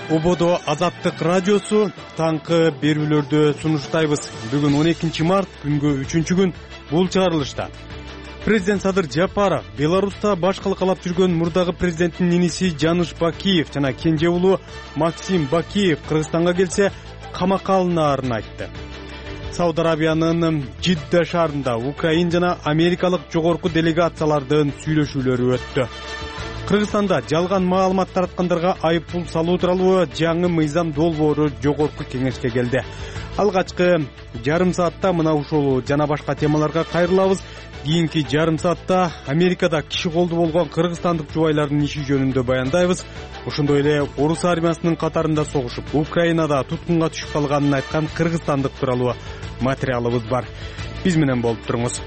Ободо Азаттык радиосу таңкы берүүлөрдү сунуштайбыз. Бүгүн 12 март күнгө 3-күн бул чыгарылышта. Президент Садыр Жапаров Беларуста баш калкалап жүргөн мурдагы президенттин иниси Жаныш Бакиев жана кенже уулу Максим Бакиев Кыргызстанга келсе камакка алынаарын айтты. Сауд Арабиянын Жидда шаарында Украин жана америкалык жогорку делегациялардын сүйлөшүүлөрү өттү. Кыргызстанда жалган маалымат тараткандарга айыппул салуу тууралуу жаңы мыйзам долбоору жогорку кеңешке келди. Алгачкы жарым саатта мына ушул жана башка темаларга кайрылабыз. Кийинки жарым саатта Америкада киши колду болгон кыргызстандык жубайлардын иши жөнүндө баяндайбыз. Ошондой эле орус армиясынын катарында согушуп, Украинада туткунга түшүп калганын айткан кыргызстандык тууралуу материалыбыз бар. Биз менен болуп туруңуз.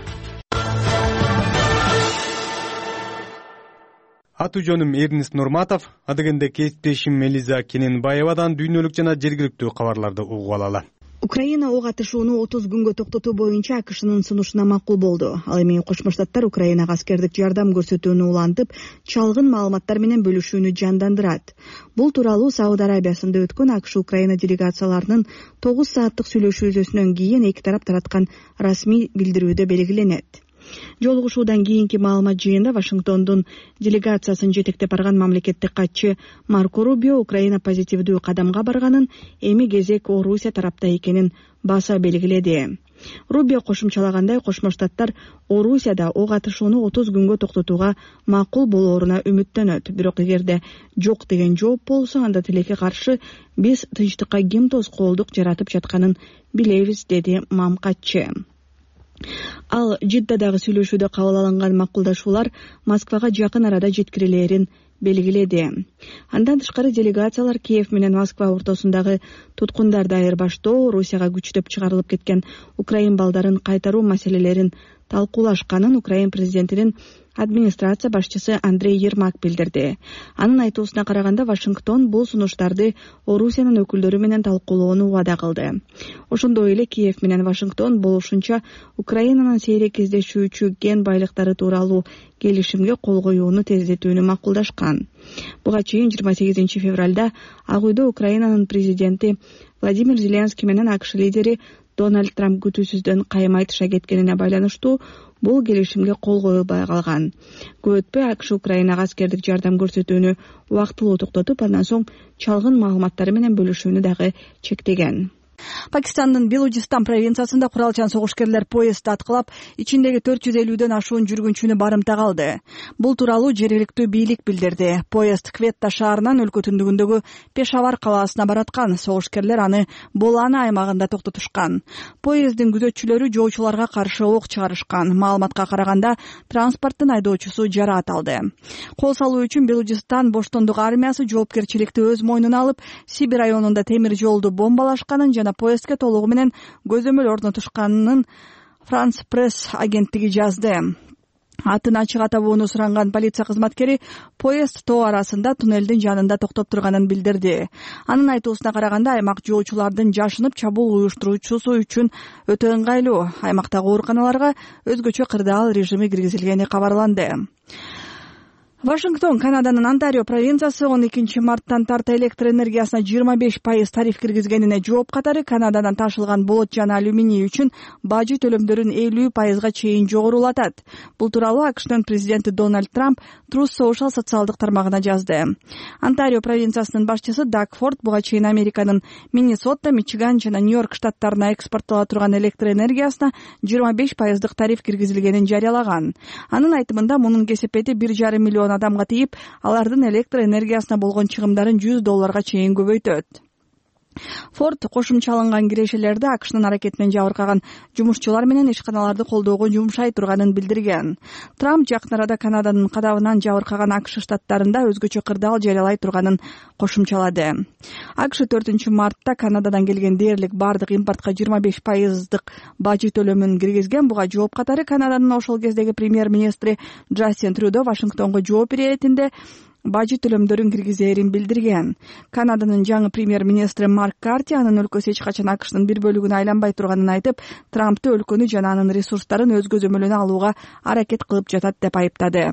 Аты жөнүм Эрнис Нурматов, адегенде кесиптешим Мелиза Кененбаевадан дүйнөлүк жана жергиликтүү кабарларды угуп алалы. Украина ок атышууну 30 күнгө токтотуу боюнча АКШнын сунушуна макул болду. Ал эми Кошмо Штаттар Украинага аскердик жардам көрсөтүүнү улантып, чалгын маалыматтар менен бөлүшүүнү жандандырат. Бул тууралуу Сауд Арабиясында өткөн АКШ Украина делегацияларынын 9 сааттык сүйлөшүүсүнөн кийин эки тарап тараткан расмий билдирүүдө белгиленет. Жолугушуудан кийинки маалымат жыйында Вашингтондун делегациясын жетектеп барган мамлекеттик катчы Марко Рубио Украина позитивдүү кадамга барганын, эми кезек Орусия тарапта экенин баса белгиледи. Рубио кошумчалагандай, Кошмо Штаттар Орусияда ок атышууну 30 күнгө токтотууга макул болооруна үмүттөнөт. Бирок эгерде жок деген жооп болсо, анда тилекке каршы биз тынчтыкка ким тоскоолдук жаратып жатканын билебиз, деди мамкатчы. Ал Жиддадагы сүйлөшүүдө кабыл алынган макулдашуулар Москвага жакын арада жеткирилерин белгиледи. Андан тышкары делегациялар Киев менен Москва ортосундагы туткундарды айырбаштоо, Орусияга күчтөп чыгарылып кеткен украин балдарын кайтаруу маселелерин талкуулашканын Украин президентинин администрация башчысы Андрей Ермак билдирди. Анын айтуусуна караганда, Вашингтон бул сунуштарды Орусиянын өкүлдөрү менен талкуулоону убада кылды. Ошондой эле Киев менен Вашингтон болушунча Украинанын сейрек кездешүүчү кен байлыктары тууралуу келишимге кол коюуну тездетүүнү макулдашкан. Буга чейин 28 февралда Ак үйдө Украинанын президенти Владимир Зеленский менен АКШ лидери Дональд Трамп күтүүсүздөн каймай тыша кеткенине байланыштуу бул келишимге кол коюлбай калган. Көп өтпөй АКШ Украинага аскердик жардам көрсөтүүнү убактылуу токтотуп, андан соң чалгын маалыматтары менен бөлүшүүнү дагы чектеген. Пакистандын Белужистан провинциясында куралчан согушкерлер поезд аткылап, ичиндеги 450дөн ашуун жүргүнчүнү барымтага алды. Бул тууралуу жергиликтүү бийлик билдирди. Поезд Кветта шаарынан өлкө түндүгүндөгү Пешавар калаасына бараткан. Согушкерлер аны Болана аймагында токтотушкан. Поезддин күзөтчүлөрү жоочуларга каршы ок чыгарышкан. Маалыматка караганда, транспорттун айдоочусу жараат алды. Кол салуу үчүн Белужистан боштондук армиясы жоопкерчиликти өз мойнуна алып, Сибир районунда темир жолду бомбалашканын жана поездге толугу менен көзөмөл орнотушканын Франс Пресс агенттиги жазды. Атын ачык атабоону суранган полиция кызматкери поезд тоо арасында туннелдин жанында токтоп турганын билдирди. Анын айтуусуна караганда, аймак жоочулардын жашынып чабуул уюштуруучусу үчүн өтө ыңгайлуу. Аймактагы ооруканаларга өзгөчө кырдаал режими киргизилгени кабарланды. Вашингтон Канаданын Онтарио провинциясы 12 марттан тарта электр энергиясына 25% тариф киргизгенине жооп катары Канададан ташылган болот жана алюминий үчүн бажы төлөмдөрүн 50% чейин жогорулатат. Бул тууралуу АКШнын президенти Дональд Трамп Truth Social социалдык тармагына жазды. Онтарио провинциясынын башчысы Даг Форд буга чейин Американын Миннесота, Мичиган жана Нью-Йорк штаттарына экспорттола турган электр энергиясына 25% тариф киргизилгенин жарыялаган. Анын айтымында, мунун кесепети 1,5 миллион адамга тийип, алардын электр энергиясына болгон чыгымдарын $100 чейин көбөйтөт. Форд кошумчаланган кирешелерди АКШнын аракетинен жабыркаган жумушчулар менен ишканаларды колдоого жумшай турганын билдирген. Трамп жакын арада Канаданын кадабынан жабыркаган АКШ штаттарында өзгөчө кырдаал жарыялай турганын кошумчалады. АКШ 4 мартта Канададан келген дээрлик бардык импортко 25% бажы төлөмүн киргизген. Буга жооп катары Канаданын ошол кездеги премьер-министри Джастин Трюдо Вашингтонго жооп иретинде бажы төлөмдөрүн киргизээрин билдирген. Канаданын жаңы премьер-министри Марк Карти анын өлкөсү эч качан АКШнын бир бөлүгүнө айланбай турганын айтып, Трампты өлкөнү жана анын ресурстарын өз көзөмөлүнө алууга аракет кылып жатат деп айыптады.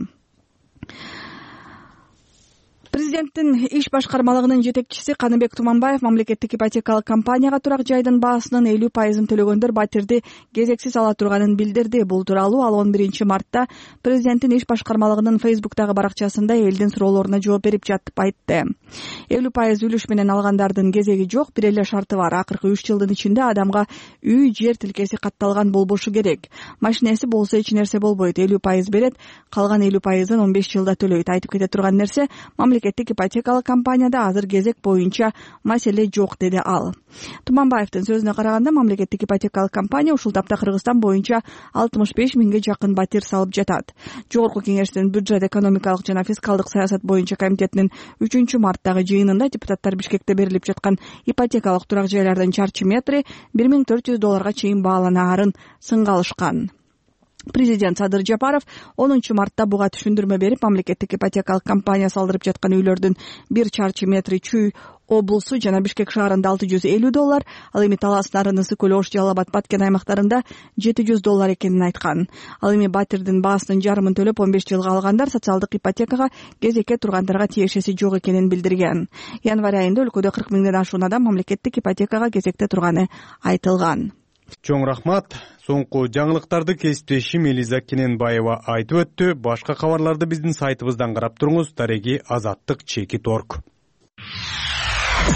Президенттин иш башкармалыгынын жетекчиси Каныбек Туманбаев мамлекеттик ипотекалык компанияга турак жайдын баасынын 50% төлөгөндөр батирди кезексиз ала турганын билдирди. Бул тууралуу ал 11 мартта президенттин иш башкармалыгынын Facebook'тагы баракчасында элдин суроолоруна жооп берип жатып айтты. 50% үлүш менен алгандардын кезеги жок, бир эле шарты бар. Акыркы 3 жылдын ичинде адамга үй, жер тилкеси катталган болбошу керек. Машинеси болсо эч нерсе болбойт. 50% берет, калган 50%ын 15 жылда төлөйт. Айтып кете турган нерсе, мамлекеттик ипотекалык компанияда азыр кезек боюнча маселе жок, деди ал. Туманбаевдин сөзүнө караганда, мамлекеттик ипотекалык компания ушул тапта Кыргызстан боюнча 65 миңге жакын батир салып жатат. Жогорку кеңештин бюджет, экономикалык жана фискалдык саясат боюнча комитетинин 3 марттагы жыйынында депутаттар Бишкекте берилип жаткан ипотекалык турак жайлардын чарчы метри $1400 чейин бааланаарын сынга алышкан. Президент Садыр Жапаров 10 мартта буга түшүндүрмө берип, мамлекеттик ипотекалык компания салдырып жаткан үйлөрдүн 1 чарчы метри Чүй облусу жана Бишкек шаарында $650, ал эми Талас, Нарын, Ысык көл, Ош, Жалал Абад, Баткен аймактарында $700 экенин айткан. Ал эми батирдин баасынын жарымын төлөп 15 жылга алгандар социалдык ипотекага кезекке тургандарга тиешеси жок экенин билдирген. Январь айында өлкөдө 40 миңден ашуун адам мамлекеттик ипотекага кезекте турганы айтылган. Чоң рахмат. Соңку жаңылыктарды кесиптешим Элиза Кененбаева айтып өттү. Башка кабарларды биздин сайтыбыздан карап туруңуз. Дареги Азаттык.org.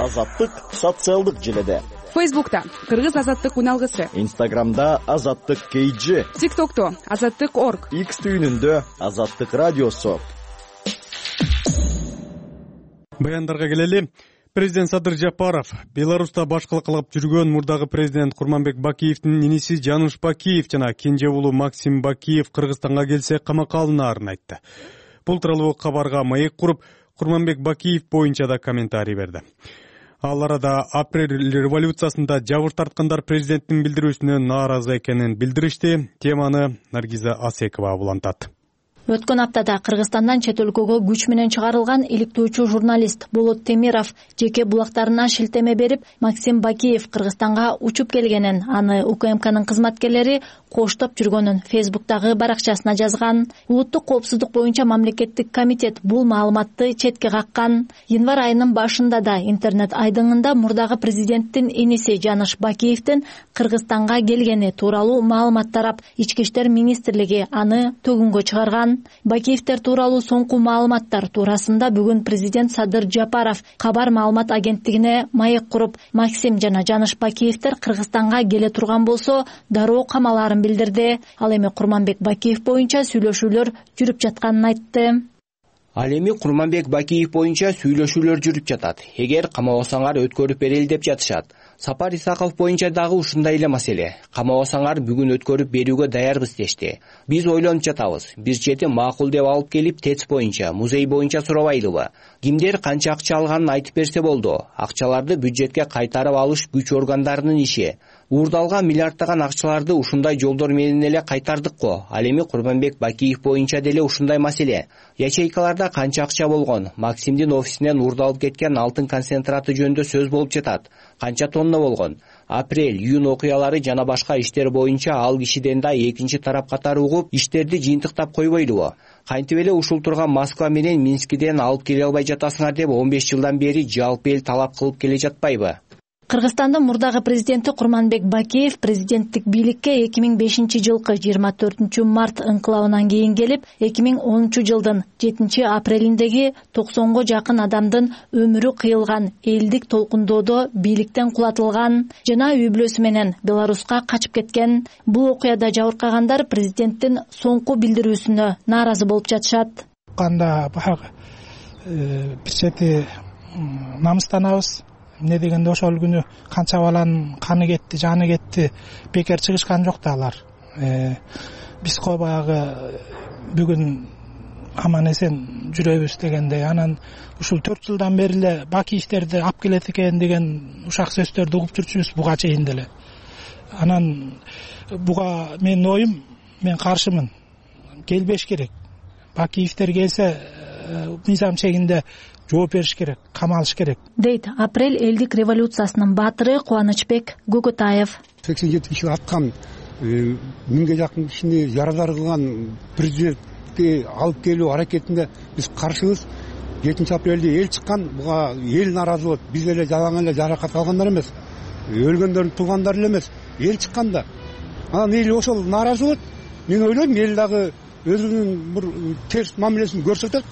Азаттык социалдык желеде. Facebook'ta Кыргыз Азаттык уналгысы. Instagram'da Азаттык KG. TikTok'ta Азаттык.org. X түйүнүндө Азаттык радиосу. Баяндарга келели. Президент Садыр Жапаров Беларуста башкылык кылып жүргөн мурдагы президент Курманбек Бакиевдин иниси Жаныш Бакиев жана кенже уулу Максим Бакиев Кыргызстанга келсе камакка алынаарын айтты. Бул тууралуу кабарга маек куруп, Курманбек Бакиев боюнча да комментарий берди. Ал арада апрель революциясында жабыр тарткандар президенттин билдирүүсүнө нааразы экенин билдиришти. Теманы Наргиза Асекова улантат. Өткөн аптада Кыргызстандан чет өлкөгө күч менен чыгарылган иликтөөчү журналист Болот Темиров жеке булактарына шилтеме берип, Максим Бакиев Кыргызстанга учуп келгенин, аны УКМКнын кызматкерлери коштоп жүргөнүн Facebook'тагы баракчасына жазган. Улуттук коопсуздук боюнча мамлекеттик комитет бул маалыматты четке каккан. Январь айынын башында да интернет айдыңында мурдагы президенттин иниси Жаныш Бакиевдин Кыргызстанга келгени тууралуу маалымат тарап, Ички иштер министрлиги аны төгүнгө чыгарган. Бакиевдер тууралуу соңку маалыматтар туурасында бүгүн президент Садыр Жапаров кабар маалымат агенттигине маек куруп, Максим жана Жаныш Бакиевдер Кыргызстанга келе турган болсо дароо камаларын билдирди. Ал эми Курманбек Бакиев боюнча сүйлөшүүлөр жүрүп жатканын айтты. Ал эми Курманбек Бакиев боюнча сүйлөшүүлөр жүрүп жатат. Эгер камабасаңар өткөрүп берели деп жатышат. Сапар Исаков боюнча дагы ушундай эле маселе. Камабасаңар бүгүн өткөрүп берүүгө даярбыз дешти. Биз ойлонуп жатабыз. Бир чети макул деп алып келип ТЭЦ боюнча, музей боюнча сурабайлыбы? Кимдер канча акча алганын айтып берсе болду. Акчаларды бюджетке кайтарып алыш күч органдарынын иши. Уурдалган миллиарддаган акчаларды ушундай жолдор менен эле кайтардык го. Ал эми Курманбек Бакиев боюнча деле ушундай маселе. Ячейкаларда канча акча болгон? Максимдин офисинен уурдалып кеткен алтын концентраты жөнүндө сөз болуп жатат. Канча тонна болгон? Апрель, июнь окуялары жана башка иштер боюнча ал кишиден да экинчи тарап катары угуп, иштерди жыйынтыктап койбойлубу? Кантип эле ушул турган Москва менен Минскиден алып келе албай жатасыңар деп 15 жылдан бери жалпы эл талап кылып келе жатпайбы? Кыргызстандын мурдагы президенти Курманбек Бакиев президенттик бийликке 2005 жылкы 24 март ыңкылабынан кийин келип, 2010 жылдын 7 апрелиндеги 90го жакын адамдын өмүрү кыйылган элдик толкундоодо бийликтен кулатылган жана үй бүлөсү менен Беларуска качып кеткен. Бул окуяда жабыркагандар президенттин соңку билдирүүсүнө нааразы болуп жатышат. Канда бир чети намыстанабыз. Эмне дегенде ошол күнү канча баланын каны кетти, жаны кетти, бекер чыгышкан жок да алар. Биз баягы бүгүн аман эсен жүрөбүз дегендей, анан ушул 4 жылдан бери эле Бакиевдерди алып келет экен деген ушак сөздөрдү угуп жүрчүбүз буга чейин деле. Анан буга менин оюм, мен каршымын. Келбеш керек. Бакиевдер келсе мыйзам чегинде жооп бериш керек, камалыш керек, дейт апрель элдик революциясынын баатыры Кубанычбек Гөгөтаев. 87 киши аткан, 1000ге жакын кишини ярадар кылган президентти алып келүү аракетинде биз каршыбыз. 7 апрелде эл чыккан, буга эл нааразы болот. Биз эле жалаң эле жаракат алгандар эмес, өлгөндөрдүн туугандары эле эмес, эл чыкканда. Анан эл ошол нааразы болот. Мен ойлойм, эл дагы өзүнүн бир терс мамилесин көрсөтөт.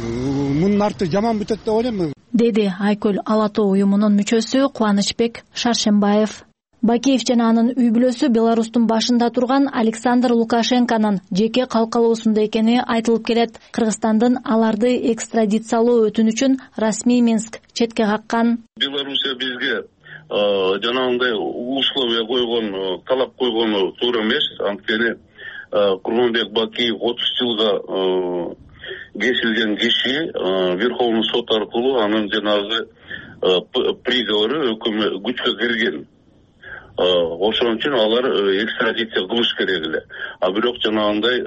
Мунун арты жаман бүтөт деп ойлойм, деди Айкөл Ала Тоо уюмунун мүчөсү Кубанычбек Шаршембаев. Бакиев жана анын үй бүлөсү Беларустун башында турган Александр Лукашенконун жеке калкалоосунда экени айтылып келет. Кыргызстандын аларды экстрадициялоо өтүнүчүн расмий Минск четке каккан. Белоруссия бизге жанагындай условия койгон, талап койгону туура эмес. Анткени Курманбек Бакиев 30 жылга кесилген киши Верховный сот аркылуу анын жанагы приговору күчкө кирген. Ошон үчүн алар экстрадиция кылыш керек эле. А бирок жанагындай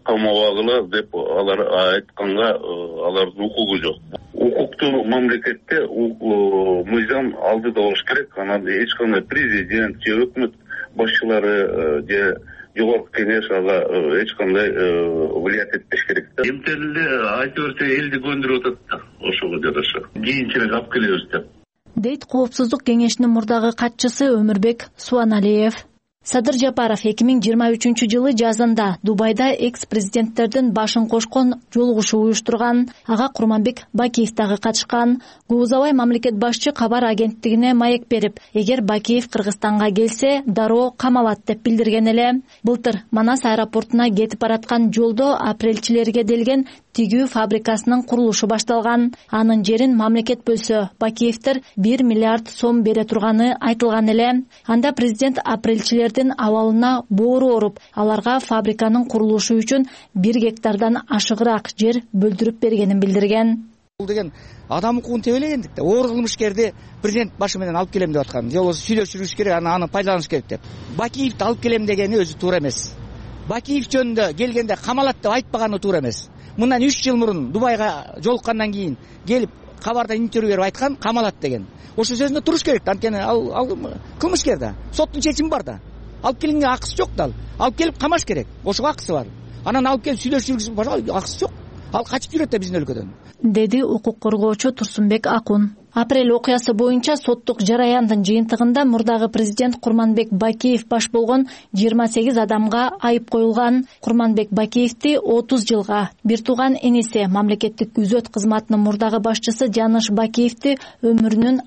камабагыла деп алар айтканга алардын укугу жок. Укуктуу мамлекетте мыйзам алдыда болуш керек. Анан эч кандай президент же өкмөт башчылары же жогорку кеңеш ага эч кандай влиять этпеш керек да. Эмтелде айта берсе элди көндүрүп атат да, ошого жараша. Кийинчерээк алып келебиз деп. Дейт Коопсуздук кеңешинин мурдагы катчысы Өмүрбек Суаналиев. Садыр Жапаров 2023 жылы жазында Дубайда экс-президенттердин башын кошкон жолугушуу уюштурган. Ага Курманбек Бакиев дагы катышкан. Гуузабай мамлекет башчы кабар агенттигине маек берип, эгер Бакиев Кыргызстанга келсе, дароо камалат деп билдирген эле. Былтыр Манас аэропортуна кетип бараткан жолдо апрелчилерге делген тигүү фабрикасынын курулушу башталган. Анын жерин мамлекет бөлсө, Бакиевтер 1 миллиард сом бере турганы айтылган эле. Анда президент апрелчилердин абалына боору оруп, аларга фабриканын курулушу үчүн 1 гектардан ашыгыраак жер бөлдүрүп бергенин билдирген. Бул деген адам укугун тебелегендик да, оор кылмышкерди президент башы менен алып келем деп аткан. Же болбосо сүйлөшүрүш керек, аны пайдаланыш керек деп. Бакиевди алып келем дегени өзү туура эмес. Бакиев жөнүндө келгенде камалат деп айтпаганы туура эмес. Мындан 3 жыл мурун Дубайга жолуккандан кийин келип кабарда интервью берип айткан камалат деген. Ошо сөзүндө туруш керек. Анткени ал кылмышкер да. Соттун чечими бар да. Алып келгенге акысы жок да. Алып келип камаш керек. Ошого акысы бар. Анан алып келип сүйлөшүп жүргүзүп акысы жок. Ал качып жүрөт да биздин өлкөдөн. Деди укук коргоочу Турсунбек Акун. Апрель окуясы боюнча соттук жараяндын жыйынтыгында мурдагы президент Курманбек Бакиев баш болгон 28 адамга айып коюлган. Курманбек Бакиевди 30 жылга, бир тууган иниси мамлекеттик күзөт кызматынын мурдагы башчысы Жаныш Бакиевди өмүрүнүн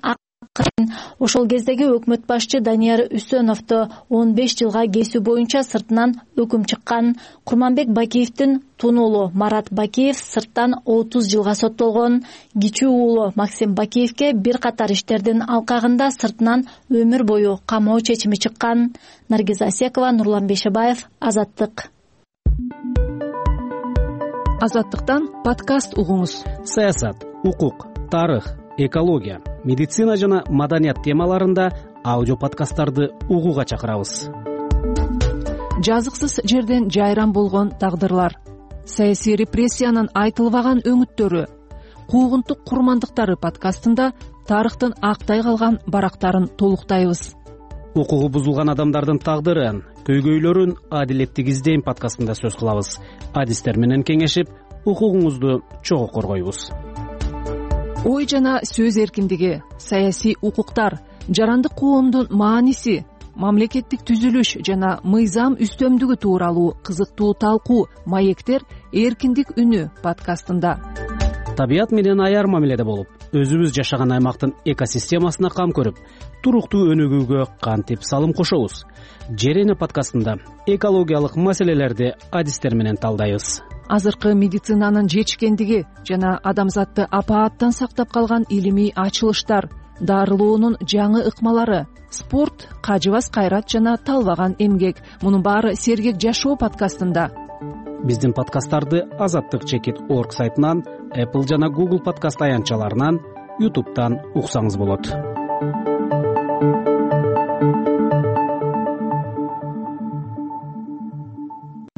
ошол кездеги өкмөт башчы Данияр Үсөновду 15 жылга кесүү боюнча сыртынан өкүм чыккан. Курманбек Бакиевдин тун уулу Марат Бакиев сырттан 30 жылга соттолгон. Кичүү уулу Максим Бакиевге бир катар иштердин алкагында сыртынан өмүр бою камоо чечими чыккан. Наргиза Асекова, Нурлан Бейшебаев, Азаттык. Азаттыктан подкаст угуңуз. Саясат, укук, тарых, экология, медицина жана маданият темаларында аудио подкасттарды угууга чакырабыз. Жазыксыз жерден жайран болгон тагдырлар, саясий репрессиянын айтылбаган өңүттөрү, куугунтук курмандыктары подкастында тарыхтын актай калган барактарын толуктайбыз. Укугу бузулган адамдардын тагдырын, көйгөйлөрүн адилеттик издейм подкастында сөз кылабыз. Адистер менен кеңешип, укугуңузду чогуу коргойбуз. Ой жана сөз эркиндиги, саясий укуктар, жарандык коомдун мааниси, мамлекеттик түзүлүш жана мыйзам үстөмдүгү тууралуу кызыктуу талкуу маектер эркиндик үнү подкастында. Табият менен аяр мамиледе болуп, өзүбүз жашаган аймактын экосистемасына кам көрүп, туруктуу өнүгүүгө кантип салым кошобуз? Жерене подкастында экологиялык маселелерди адистер менен талдайбыз. Азыркы медицинанын жетишкендиги жана адамзатты апааттан сактап калган илимий ачылыштар, дарылоонун жаңы ыкмалары, спорт, кажыбас кайрат жана талбаган эмгек. Мунун баары Сергек жашоо подкастында. Биздин подкасттарды azattik.org сайтынан, Apple жана Google подкаст аянтчаларынан, YouTube'дан уксаңыз болот.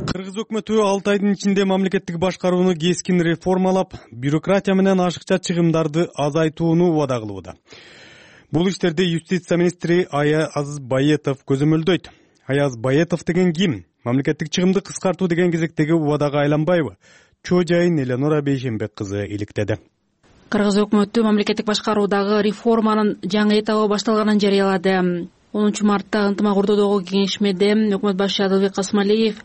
Кыргыз өкмөтү 6 айдын ичинде мамлекеттик башкарууну кескин реформалап, бюрократия менен ашыкча чыгымдарды азайтууну убада кылууда. Бул иштерди юстиция министри Аяз Байетов көзөмөлдөйт. Аяз Байетов деген ким? Мамлекеттик чыгымды кыскартуу деген кезектеги убадага айланбайбы? чоо жайын Элеонора Бейшенбек кызы иликтеди. Кыргыз өкмөтү мамлекеттик башкаруудагы реформанын жаңы этабы башталганын жарыялады. 10 мартта ынтымак урдоодогу кеңешмеде өкмөт башчы Адылбек Касымалиев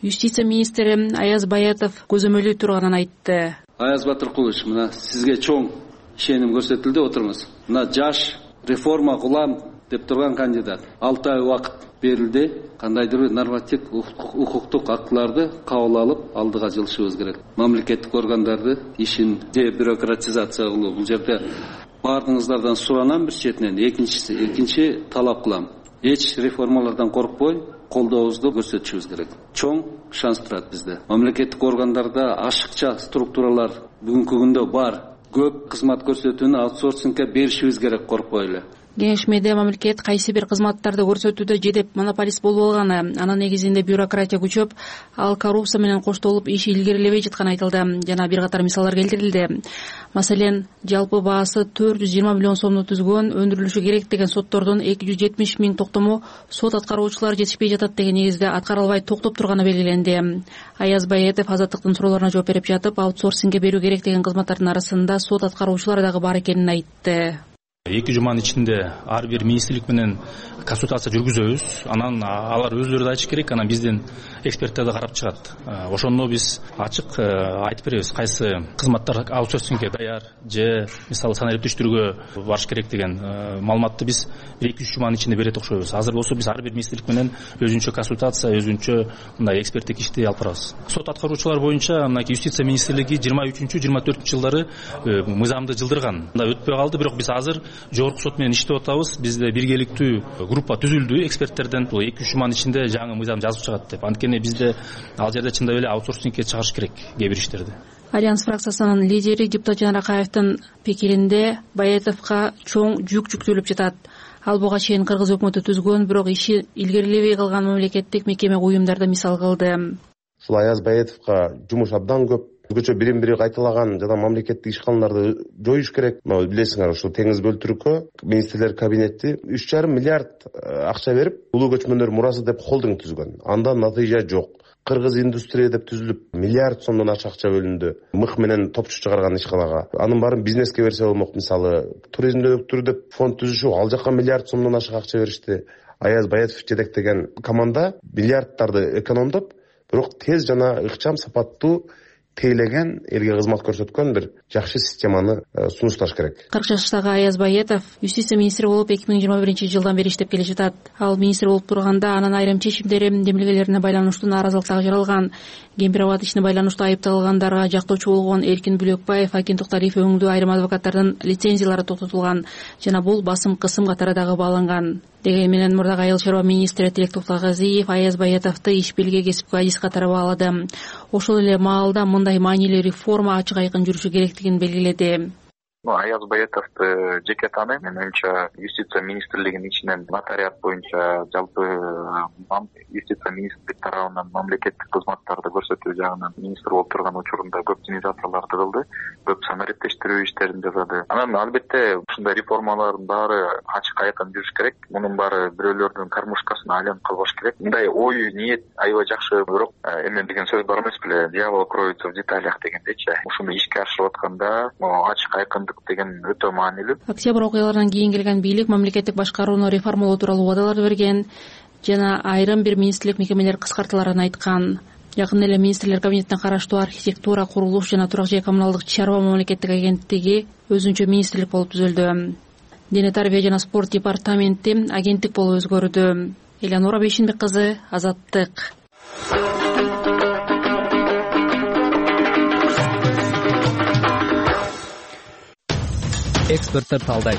юстиция министри Аяз Баятов көзөмөлү турганын айтты. Аяз Батыркулович, мына сизге чоң ишеним көрсөтүлдү, отуруңуз. Мына жаш реформа кылам деп турган кандидат 6 ай убакыт берилди. Кандайдыр бир нормативдик укуктук актыларды кабыл алып алдыга жылышыбыз керек. Мамлекеттик органдарды ишин дебюрократизация кылуу. Бул жерде баардыгыңыздардан суранам бир четинен. Экинчи талап кылам. Эч реформалардан коркпой колдообузду көрсөтүшүбүз керек. Чоң шанс турат бизде. Мамлекеттик органдарда ашыкча структуралар бүгүнкү күндө бар. Көп кызмат көрсөтүүнү аутсорсингге беришибиз керек коркпой эле. Кеңешмеде мамлекет кайсы бир кызматтарды көрсөтүүдө жедеп монополист болуп алганы, анын негизинде бюрократия күчөп, ал коррупция менен коштолуп иш илгерилебей жатканы айтылды жана бир катар мисалдар келтирилди. Маселен, жалпы баасы 420 миллион сомду түзгөн өндүрүлүшү керек деген соттордун 270 миң токтому сот аткаруучулары жетишпей жатат деген негизде аткарылбай токтоп турганы белгиленди. Аяз Баятов Азаттыктын суроолоруна жооп берип жатып, аутсорсингге берүү керек деген кызматтардын арасында сот аткаруучулары дагы бар экенин айтты. 2 жуманын ичинде ар бир министрлик менен консультация жүргүзөбүз. Анан алар өздөрү да айтыш керек, анан биздин эксперттер да карап чыгат. Ошондо биз ачык айтып беребиз, кайсы кызматтар аутсорсингге даяр же мисалы санариптештирүүгө барыш керек деген маалыматты биз 2-3 жуманын ичинде берет окшойбуз. Азыр болсо биз ар бир министрлик менен өзүнчө консультация, өзүнчө мындай эксперттик ишти алып барабыз. Сот аткаруучулар боюнча мынакей юстиция министрлиги 23-24 жылдары мыйзамды жылдырган. Мындай өтпөй калды, бирок биз азыр жогорку сот менен иштеп атабыз. Бизде биргеликтүү группа түзүлдү эксперттерден. Бул 2-3 жуманын ичинде жаңы мыйзам жазып чыгат деп. Анткени бизде ал жерде чындап эле аутсорсингге чыгарыш керек кээ бир иштерди. Альянс фракциясынын лидери депутат Жанаракаевдин пикиринде Баятовго чоң жүк жүктөлүп жатат. Ал буга чейин кыргыз өкмөтү түзгөн, бирок иши илгерилебей калган мамлекеттик мекеме уюмдарды мисал кылды. Ушул Аяз Баятовго жумуш абдан көп. Өзгөчө бирин-бири кайталаган жана мамлекеттик ишканаларды жоюш керек. Билесиңер, ушул теңиз бөлтүрүккө министрлер кабинети 3,5 миллиард акча берип, улуу көчмөндөр мурасы деп холдинг түзгөн. Андан натыйжа жок. Кыргыз индустрия деп түзүлүп, миллиард сомдон ашык акча бөлүндү. Мык менен топчу чыгарган ишканага. Анын баарын бизнеске берсе болмок. Мисалы, туризмди өктүрүү деп фонд түзүшүп, ал жака миллиард сомдон ашык акча беришти. Аяз Баятов жетектеген команда миллиарддарды экономдоп, бирок тез жана ыкчам, сапаттуу тейлеген, элге кызмат көрсөткөн бир жакшы системаны сунушташ керек. 40 жаштагы Аяз Баятов юстиция министри болуп 2021 жылдан бери иштеп келе жатат. Ал министр болуп турганда анын айрым чечимдери демилгелерине байланыштуу нааразылыктар жаралган. Гемпирабад ишине байланыштуу айыпталгандарга жактоочу болгон Эркин Бүлөкбаев, Акин Токталиев өңдүү айрым адвокаттардын лицензиялары токтотулган жана бул басым кысым катары дагы бааланган. Деген менен мурдагы айыл чарба министри Тилек Токтогазиев Аяз Баятовду иш белге кесипкө адис катары баалады. Ошол эле маалда мындай маанилүү реформа ачык айкын жүрүшү керектигин белгиледи. Аяз Баятовду жеке тааныйм. Мен оюмча юстиция министрлигинин ичинен нотариат боюнча жалпы юстиция министрлик тарабынан мамлекеттик кызматтарды көрсөтүү жагынан министр болуп турган учурунда көп инициацияларды кылды, көп санариптештирүү иштерин жасады. Анан албетте ушундай реформалардын баары ачык айкын жүрүш керек. Мунун баары бирөөлөрдүн кармушкасына айланып калбаш керек. Мындай ой, ниет аябай жакшы, бирок эме деген сөз бар эмес беле? Дьявол кроется в деталях дегендейчи. Ушуну ишке ашырып атканда ачык айкындык деген өтө маанилүү. Октябрь окуяларынан кийин келген бийлик мамлекеттик башкарууну реформалоо тууралуу убадалар берген жана айрым бир министрлик мекемелер кыскартыларын айткан. Жакында эле министрлер кабинетине караштуу архитектура, курулуш жана турак жай коммуналдык чарба мамлекеттик агенттиги өзүнчө министрлик болуп түзүлдү. Дене тарбия жана спорт департаменти агенттик болуп өзгөрдү. Элеонора Бейшенбек кызы, Азаттык. Эксперттер талдайт.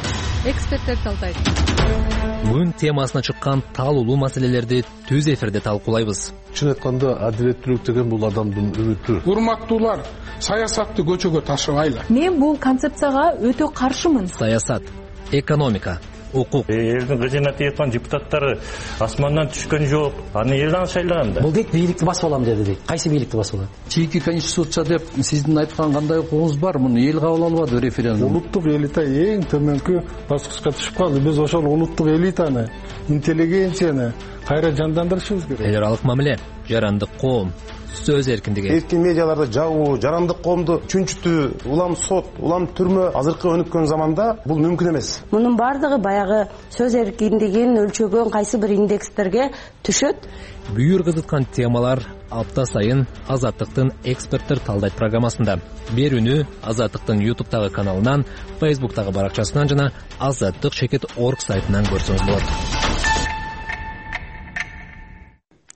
Күн темасына чыккан таалуулуу маселелерди түз эфирде талкуулайбыз. Чын айтканда адилеттүүлүк деген бул адамдын үмүтү. Урматтуулар, саясатты көчөгө ташыбайлы. Мен бул концепцияга өтө каршымын. Саясат, экономика, укук. Элдин кызына тияткан депутаттары асмандан түшкөн жок. Аны элден шайлаган да. Бул дейт бийликти басып алам деди дейт. Кайсы бийликти басып алат? Чийки конституция деп сиздин айткан кандай укугуңуз бар? Муну эл кабыл албады референдум. Улуттук элита эң төмөнкү баскычка түшүп калды. Биз ошол улуттук элитаны, интеллигенцияны кайра жандандырышыбыз керек. Эл аралык мамиле жарандык коом, сөз эркиндиги. Эркин медиаларды жабуу, жарандык коомду чүнчүтүү, улам сот, улам түрмө азыркы өнүккөн заманда бул мүмкүн эмес. Мунун бардыгы баягы сөз эркиндигин өлчөгөн кайсы бир индекстерге түшөт. Бүйүр кызыткан темалар апта сайын Азаттыктын эксперттер талдайт программасында. Берүүнү Азаттыктын YouTube'тагы каналынан, Facebook'тагы баракчасынан жана azаттык.org сайтынан көрсөңүз болот.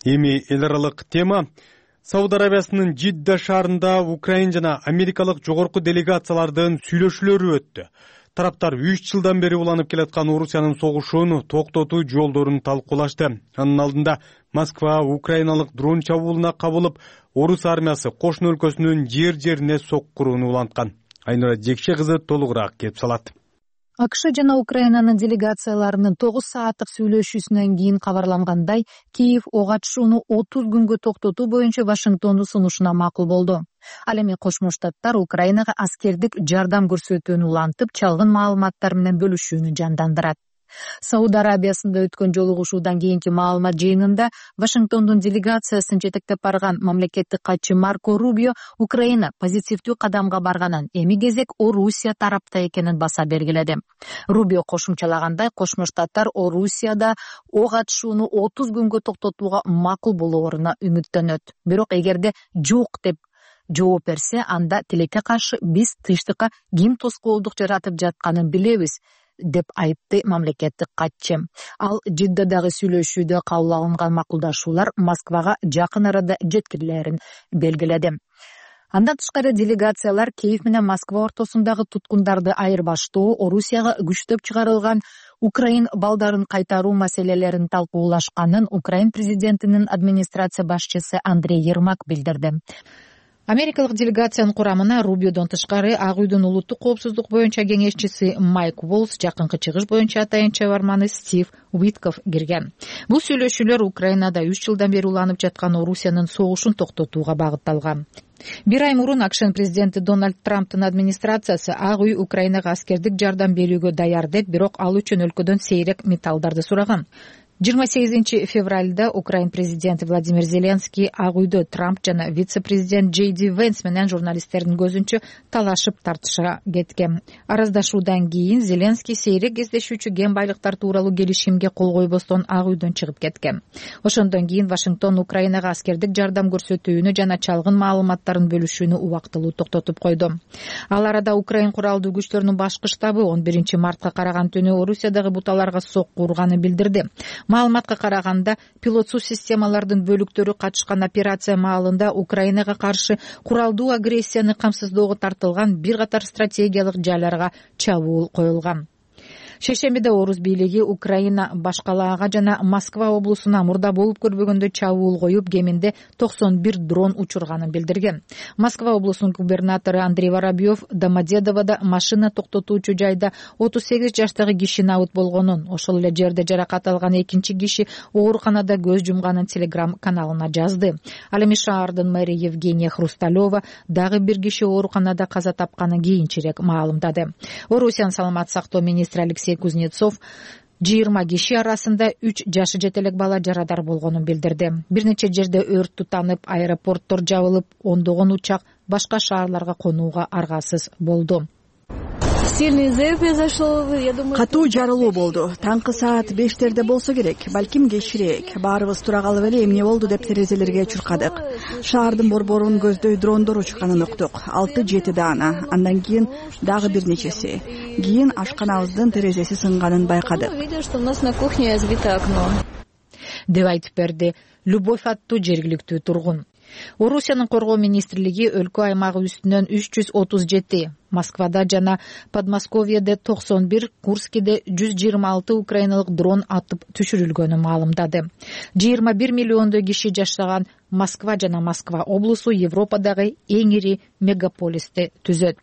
Эми эл аралык тема. Сауд Арабиясынын Жидда шаарында Украин жана америкалык жогорку делегациялардын сүйлөшүүлөрү өттү. Тараптар 3 жылдан бери уланып келаткан Орусиянын согушун токтотуу жолдорун талкуулашты. Анын алдында Москва украиналык дрон чабуулуна кабылып, Орус армиясы кошуна өлкөсүнүн жер-жерине соккуруун уланткан. Айнура Жекше кызы толугураак кеп салат. АКШ жана Украинанын делегацияларынын 9 сааттык сүйлөшүүсүнөн кийин кабарлангандай, Киев ок атышууну 30 күнгө токтотуу боюнча Вашингтондун сунушуна макул болду. Ал эми Кошмо Штаттар Украинага аскердик жардам көрсөтүүнү улантып, чалгын маалыматтар менен бөлүшүүнү жандандырат. Сауд Арабиясында өткөн жолугушуудан кийинки маалымат жыйынында Вашингтондун делегациясын жетектеп барган мамлекеттик катчы Марко Рубио Украина позитивдүү кадамга барганын, эми кезек Орусия тарапта экенин баса белгиледи. Рубио кошумчалагандай, Кошмо Штаттар Орусияда ок атышууну 30 күнгө токтотууга макул болооруна үмүттөнөт. Бирок эгерде жок деп жооп берсе, анда тилекке каршы биз тынчтыкка ким тоскоолдук жаратып жатканын билебиз, деп айтты мамлекеттик катчы. Ал Жиддадагы сүйлөшүүдө кабыл алынган макулдашуулар Москвага жакын арада жеткирилерин белгиледи. Андан тышкары делегациялар Киев менен Москва ортосундагы туткундарды айырбаштоо, Орусияга күчтөп чыгарылган Украин балдарын кайтаруу маселелерин талкуулашканын Украин президентинин администрация башчысы Андрей Ермак билдирди. Америкалык делегациянын курамына Рубиодон тышкары Ак үйдүн улуттук коопсуздук боюнча кеңешчиси Майк Волс, жакынкы чыгыш боюнча атайын чабарманы Стив Уитков кирген. Бул сүйлөшүүлөр Украинада 3 жылдан бери уланып жаткан Орусиянын согушун токтотууга багытталган. Бир ай мурун АКШнын президенти Дональд Трамптын администрациясы Ак үй Украинага аскердик жардам берүүгө даяр деп, бирок ал үчүн өлкөдөн сейрек металлдарды сураган. 28 февралда Украин президенти Владимир Зеленский Ак үйдө Трамп жана вице-президент Джей Ди Венс менен журналисттердин көзүнчө талашып тартышка кеткен. Араздашуудан кийин Зеленский сейрек кездешүүчү кен байлыктар тууралуу келишимге кол койбостон Ак үйдөн чыгып кеткен. Ошондон кийин Вашингтон Украинага аскердик жардам көрсөтүүнү жана чалгын маалыматтарын бөлүшүүнү убактылуу токтотуп койду. Ал арада Украин куралдуу күчтөрүнүн башкы штабы 11 мартка караган түнү Орусиядагы буталарга сокку урганын билдирди. Маалыматка караганда, пилотсуз системалардын бөлүктөрү катышкан операция маалында Украинага каршы куралдуу агрессияны камсыздоого тартылган бир катар стратегиялык жайларга чабуул коюлган. Шешембиде Орус бийлиги Украина башкалаага жана Москва облусуна мурда болуп көрбөгөндөй чабуул коюп, кеминде 91 дрон учурганын билдирген. Москва облусунун губернатору Андрей Воробьев Домодедоводо машина токтотуучу жайда 38 жаштагы киши набыт болгонун, ошол эле жерде жаракат алган экинчи киши ооруканада көз жумганын Telegram каналына жазды. Ал эми шаардын мэри Евгения Хрусталева дагы бир киши ооруканада каза тапканын кийинчерээк маалымдады. Орусиянын саламаттык сактоо министри Алексей Кузнецов 20 киши арасында 3 жашы жетелек бала жарадар болгонун билдирди. Бир нече жерде өрт тутанып, аэропорттор жабылып, ондогон учак башка шаарларга конууга аргасыз болду. Катуу жарылуу болду. Таңкы саат 5-терде болсо керек, балким кечирээк. Баарыбыз тура калып эле эмне болду деп терезелерге чуркадык. Шаардын борборун көздөй дрондор учканын уктук. 6-7 даана. Андан кийин дагы бир нечеси. Кийин ашканабыздын терезеси сынганын байкадык. Деп айтып берди Любовь аттуу жергиликтүү тургун. Орусиянын коргоо министрлиги өлкө аймагы үстүнөн 337, Москвада жана Подмосковьеде 91, Курскиде 126 украиналык дрон атып түшүрүлгөнүн маалымдады. 21 миллиондой киши жашаган Москва жана Москва облусу Европадагы эң ири мегаполисти түзөт.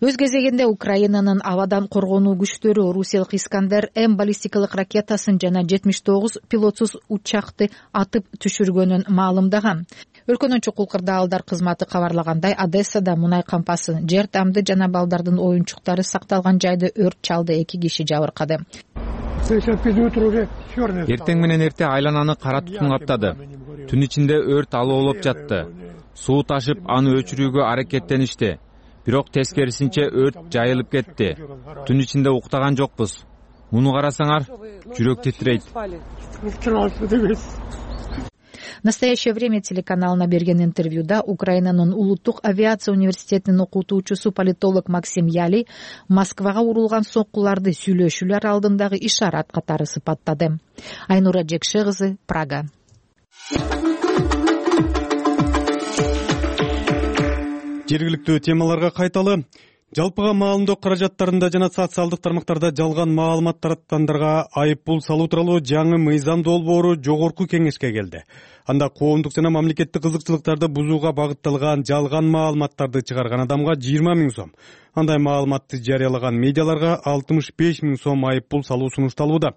Өз кезегинде Украинанын абадан коргонуу күчтөрү Орусиялык Искандер-М баллистикалык ракетасын жана 79 пилотсуз учакты атып түшүргөнүн маалымдаган. Өлкөнүн чукул кырдаалдар кызматы кабарлагандай, Одессада мунай кампасын, жер тамды жана балдардын оюнчуктары сакталган жайды өрт чалды, 2 киши жабыркады. Эртең менен эрте айлананы кара тутун каптады. Түн ичинде өрт алоолоп жатты. Суу ташып, аны өчүрүүгө аракеттеништи. Бирок тескерисинче өрт жайылып кетти. Түн ичинде уктаган жокпуз. Муну карасаңар, жүрөк титирейт. «Настоящее время» телеканалына берген интервьюда Украинанын улуттук авиация университетинин окутуучусу политолог Максим Яли Москвага урулган соккуларды сүйлөшүүлөр алдындагы ишарат катары сыпаттады. Айнура Жекше кызы, Прага. Жергиликтүү темаларга кайталы. Жалпыга маалымдоо каражаттарында жана социалдык тармактарда жалган маалымат тараткандарга айып пул салуу тууралуу жаңы мыйзам долбоору жогорку кеңешке келди. Анда коомдук жана мамлекеттик кызыкчылыктарды бузууга багытталган жалган маалыматтарды чыгарган адамга 20 000 сом, андай маалыматты жарыялаган медиаларга 65 000 сом айып пул салуу сунушталууда.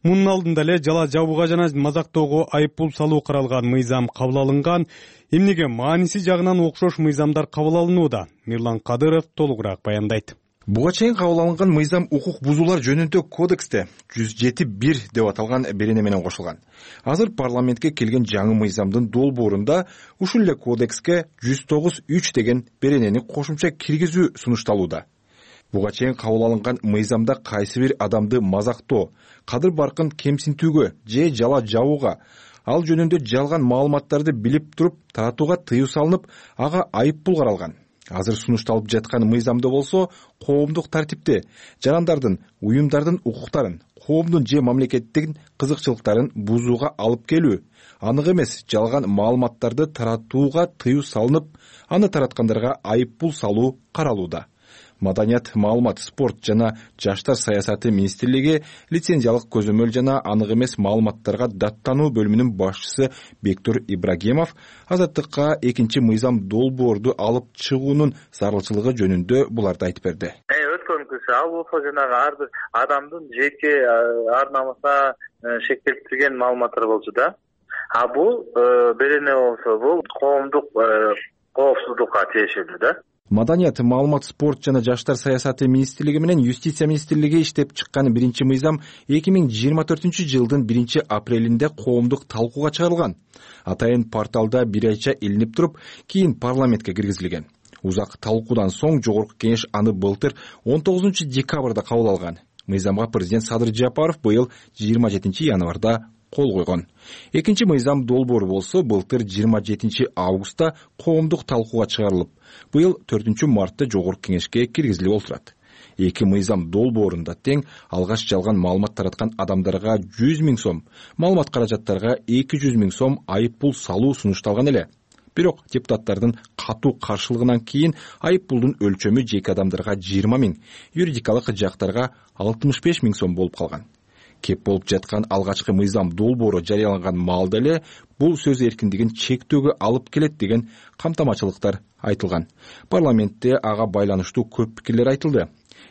Мунун алдында эле жала жабууга жана мазактоого айып пул салуу каралган мыйзам кабыл алынган. Эмнеге мааниси жагынан окшош мыйзамдар кабыл алынууда? Мирлан Кадыров толугураак баяндайт. Буга чейин кабыл алынган мыйзам укук бузуулар жөнүндө кодексте 107.1 деп аталган берене менен кошулган. Азыр парламентке келген жаңы мыйзамдын долбоорунда ушул эле кодекске 109.3 деген беренени кошумча киргизүү сунушталууда. Буга чейин кабыл алынган мыйзамда кайсы бир адамды мазактоо, кадыр баркын кемсинтүүгө же жала жабууга, ал жөнүндө жалган маалыматтарды билип туруп таратууга тыюу салынып, ага айып пул каралган. Азыр сунушталып жаткан мыйзамда болсо коомдук тартипти, жарандардын, уюмдардын укуктарын, коомдун же мамлекеттин кызыкчылыктарын бузууга алып келүү, анык эмес жалган маалыматтарды таратууга тыюу салынып, аны тараткандарга айып пул салуу каралууда. Маданият, маалымат, спорт жана жаштар саясаты министрлиги лицензиялык көзөмөл жана анык эмес маалыматтарга даттануу бөлүмүнүн башчысы Бектур Ибрагимов Азаттыкка экинчи мыйзам долбоорду алып чыгуунун зарылчылыгы жөнүндө буларды айтып берди. Өткөнкүсү ал болсо жанагы ар бир адамдын жеке ар намысына шектелтирген маалыматтар болчу да. А бул берене болсо бул коомдук коопсуздукка тиешелүү да. Маданият, маалымат, спорт жана жаштар саясаты министрлиги менен юстиция министрлиги иштеп чыккан биринчи мыйзам 2024-жылдын 1-апрелинде коомдук талкууга чыгарылган. Атайын порталда бир айча илинип туруп, кийин парламентке киргизилген. Узак талкуудан соң жогорку кеңеш аны былтыр 19-декабрда кабыл алган. Мыйзамга президент Садыр Жапаров быйыл 27-январда кол койгон. Экинчи мыйзам долбоору болсо былтыр 27-августта коомдук талкууга чыгарылып, быйыл 4-мартта жогорку кеңешке киргизилип отурат. Эки мыйзам долбоорунда тең алгаш жалган маалымат тараткан адамдарга 100 000 сом, маалымат каражаттарга 200 000 сом айып пул салуу сунушталган эле. Бирок депутаттардын катуу каршылыгынан кийин айып пулдун өлчөмү жеке адамдарга 20 000, юридикалык жактарга 65 000 сом болуп калган. Кеп болуп жаткан алгачкы мыйзам долбоору жарыяланган маалда эле бул сөз эркиндигин чектөөгө алып келет деген камтамачылыктар айтылган. Парламентте ага байланыштуу көп пикирлер айтылды.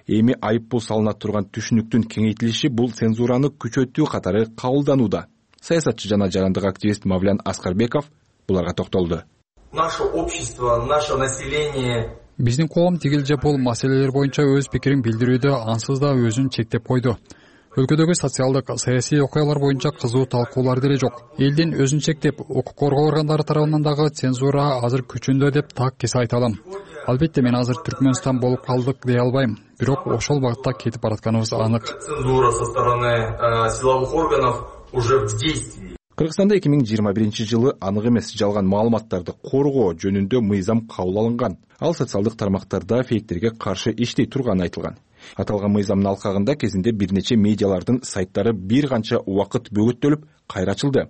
Эми айып пул салына турган түшүнүктүн кеңейтилиши бул цензураны күчөтүү катары кабылданууда. Саясатчы жана жарандык активист Мавлян Аскарбеков буларга токтолду. Наше общество, наше население биздин коом тигил же бул маселелер боюнча өз пикирин билдирүүдө ансыз да өзүн чектеп койду. Өлкөдөгү социалдык, саясий окуялар боюнча кызуу талкуулар деле жок. Элдин өзүн чектеп, укук коргоо органдары тарабынан дагы цензура азыр күчүндө деп так кесе айта алам. Албетте мен азыр Түркмөнстан болуп калдык дей албайм, бирок ошол багытта кетип баратканыбыз анык. Цензура со стороны силовых органов уже в действии. Кыргызстанда 2021-жылы анык эмес жалган маалыматтарды коргоо жөнүндө мыйзам кабыл алынган. Ал социалдык тармактарда фейктерге каршы иштей турганы айтылган. Аталган мыйзамдын алкагында кезинде бир нече медиалардын сайттары бир канча убакыт бөгөттөлүп кайра ачылды.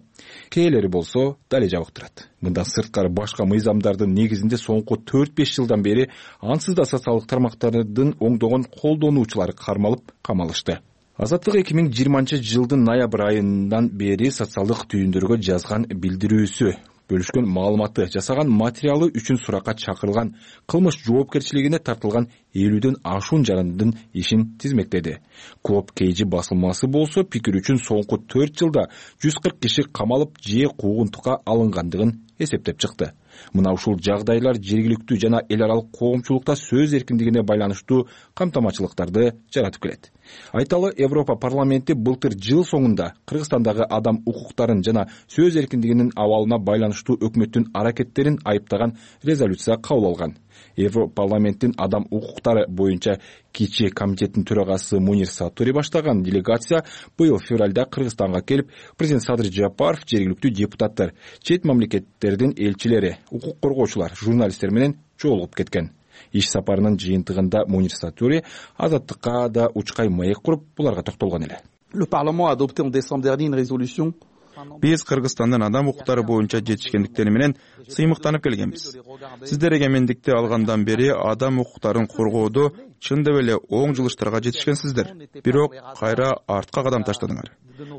Кээлери болсо дале жабык турат. Мындан сырткары башка мыйзамдардын негизинде соңку 4-5 жылдан бери ансыз да социалдык тармактардын оңдогон колдонуучулары кармалып камалышты. Азаттык 2020-жылдын ноябрь айынан бери социалдык түйүндөргө жазган билдирүүсү, бөлүшкөн маалыматы, жасаган материалы үчүн суракка чакырылган, кылмыш жоопкерчилигине тартылган 50дөн ашуун жарандын ишин тизмектеди. Клоп Кейжи басылмасы болсо пикир үчүн соңку 4 жылда 140 киши камалып же куугунтукка алынгандыгын эсептеп чыкты. Мына ушул жагдайлар жергиликтүү жана эл аралык коомчулукта сөз эркиндигине байланыштуу камтамачылыктарды жаратып келет. Айталы, Европа парламенти былтыр жыл соңунда Кыргызстандагы адам укуктарын жана сөз эркиндигинин абалына байланыштуу өкмөттүн аракеттерин айыптаган резолюция кабыл алган. Европа парламенттин адам укуктары боюнча кичи комитеттин төрагасы Мунир Сатури баштаган делегация быйыл февралда Кыргызстанга келип, президент Садыр Жапаров, жергиликтүү депутаттар, чет мамлекеттердин элчилери, укук коргоочулар, журналисттер менен жолугуп кеткен. Иш сапарынын жыйынтыгында Мунир Сатури Азаттыкка да учкай маек куруп, буларга токтолгон эле. Le Parlement a adopté en décembre dernier une résolution. Биз Кыргызстандын адам укуктары боюнча жетишкендиктери менен сыймыктанып келгенбиз. Сиздер эгемендикти алгандан бери адам укуктарын коргоодо чындап эле оң жылыштарга жетишкенсиздер. Бирок кайра артка кадам таштадыңар.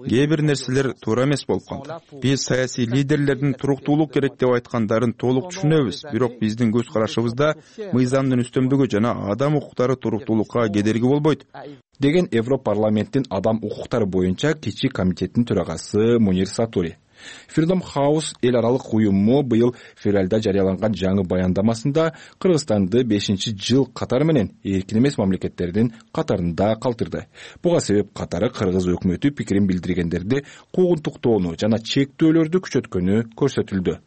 Кээ бир нерселер туура эмес болуп калды. Биз саясий лидерлердин туруктуулук керек деп айткандарын толук түшүнөбүз, бирок биздин көз карашыбызда мыйзамдын үстөмдүгү жана адам укуктары туруктуулукка кедерги болбойт деген Европа парламенттин адам укуктары боюнча кичи комитеттин төрагасы Мунир Сатури. Freedom House эл аралык уюму быйыл февралда жарыяланган жаңы баяндамасында Кыргызстанды 5-жыл катары менен эркин эмес мамлекеттердин катарында калтырды. Буга себеп катары Кыргыз өкмөтү пикирин билдиргендерди куугунтуктоону жана чектөөлөрдү күчөткөнү көрсөтүлдү.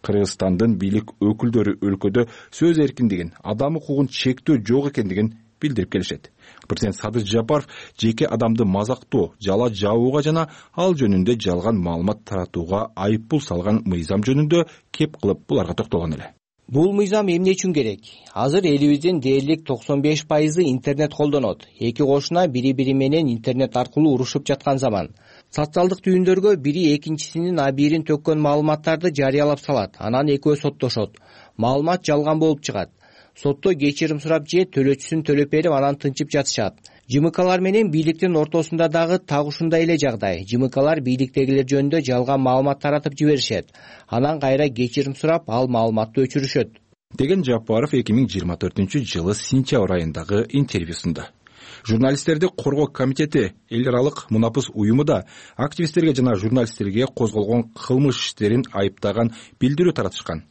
Кыргызстандын бийлик өкүлдөрү өлкөдө сөз эркиндигин, адам укугун чектөө жок экендигин билдирип келишет. Президент Садыр Жапаров жеке адамды мазактоо, жала жабууга жана ал жөнүндө жалган маалымат таратууга айыппул салган мыйзам жөнүндө кеп кылып буларга токтолгон эле. Бул мыйзам эмне үчүн керек? Азыр элибиздин дээрлик 95% интернет колдонот. Эки кошуна бири-бири менен интернет аркылуу урушуп жаткан заман. Социалдык түйүндөргө бири экинчисинин абийирин төккөн маалыматтарды жарыялап салат. Анан экөө соттошот. Маалымат жалган болуп чыгат. Сотто кечирим сурап же төлөөчүсүн төлөп берип, анан тынчып жатышат. ЖМКлар менен бийликтин ортосунда дагы так ушундай эле жагдай. ЖМКлар бийликтегилер жөнүндө жалган маалымат таратып жиберишет. Анан кайра кечирим сурап, ал маалыматты өчүрүшөт деген Жапаров 2024-жылы сентябрь айындагы интервьюсунда. Журналисттерди коргоо комитети эл аралык мунапыс уюму да активисттерге жана журналисттерге козголгон кылмыш иштерин айыптаган билдирүү таратышкан.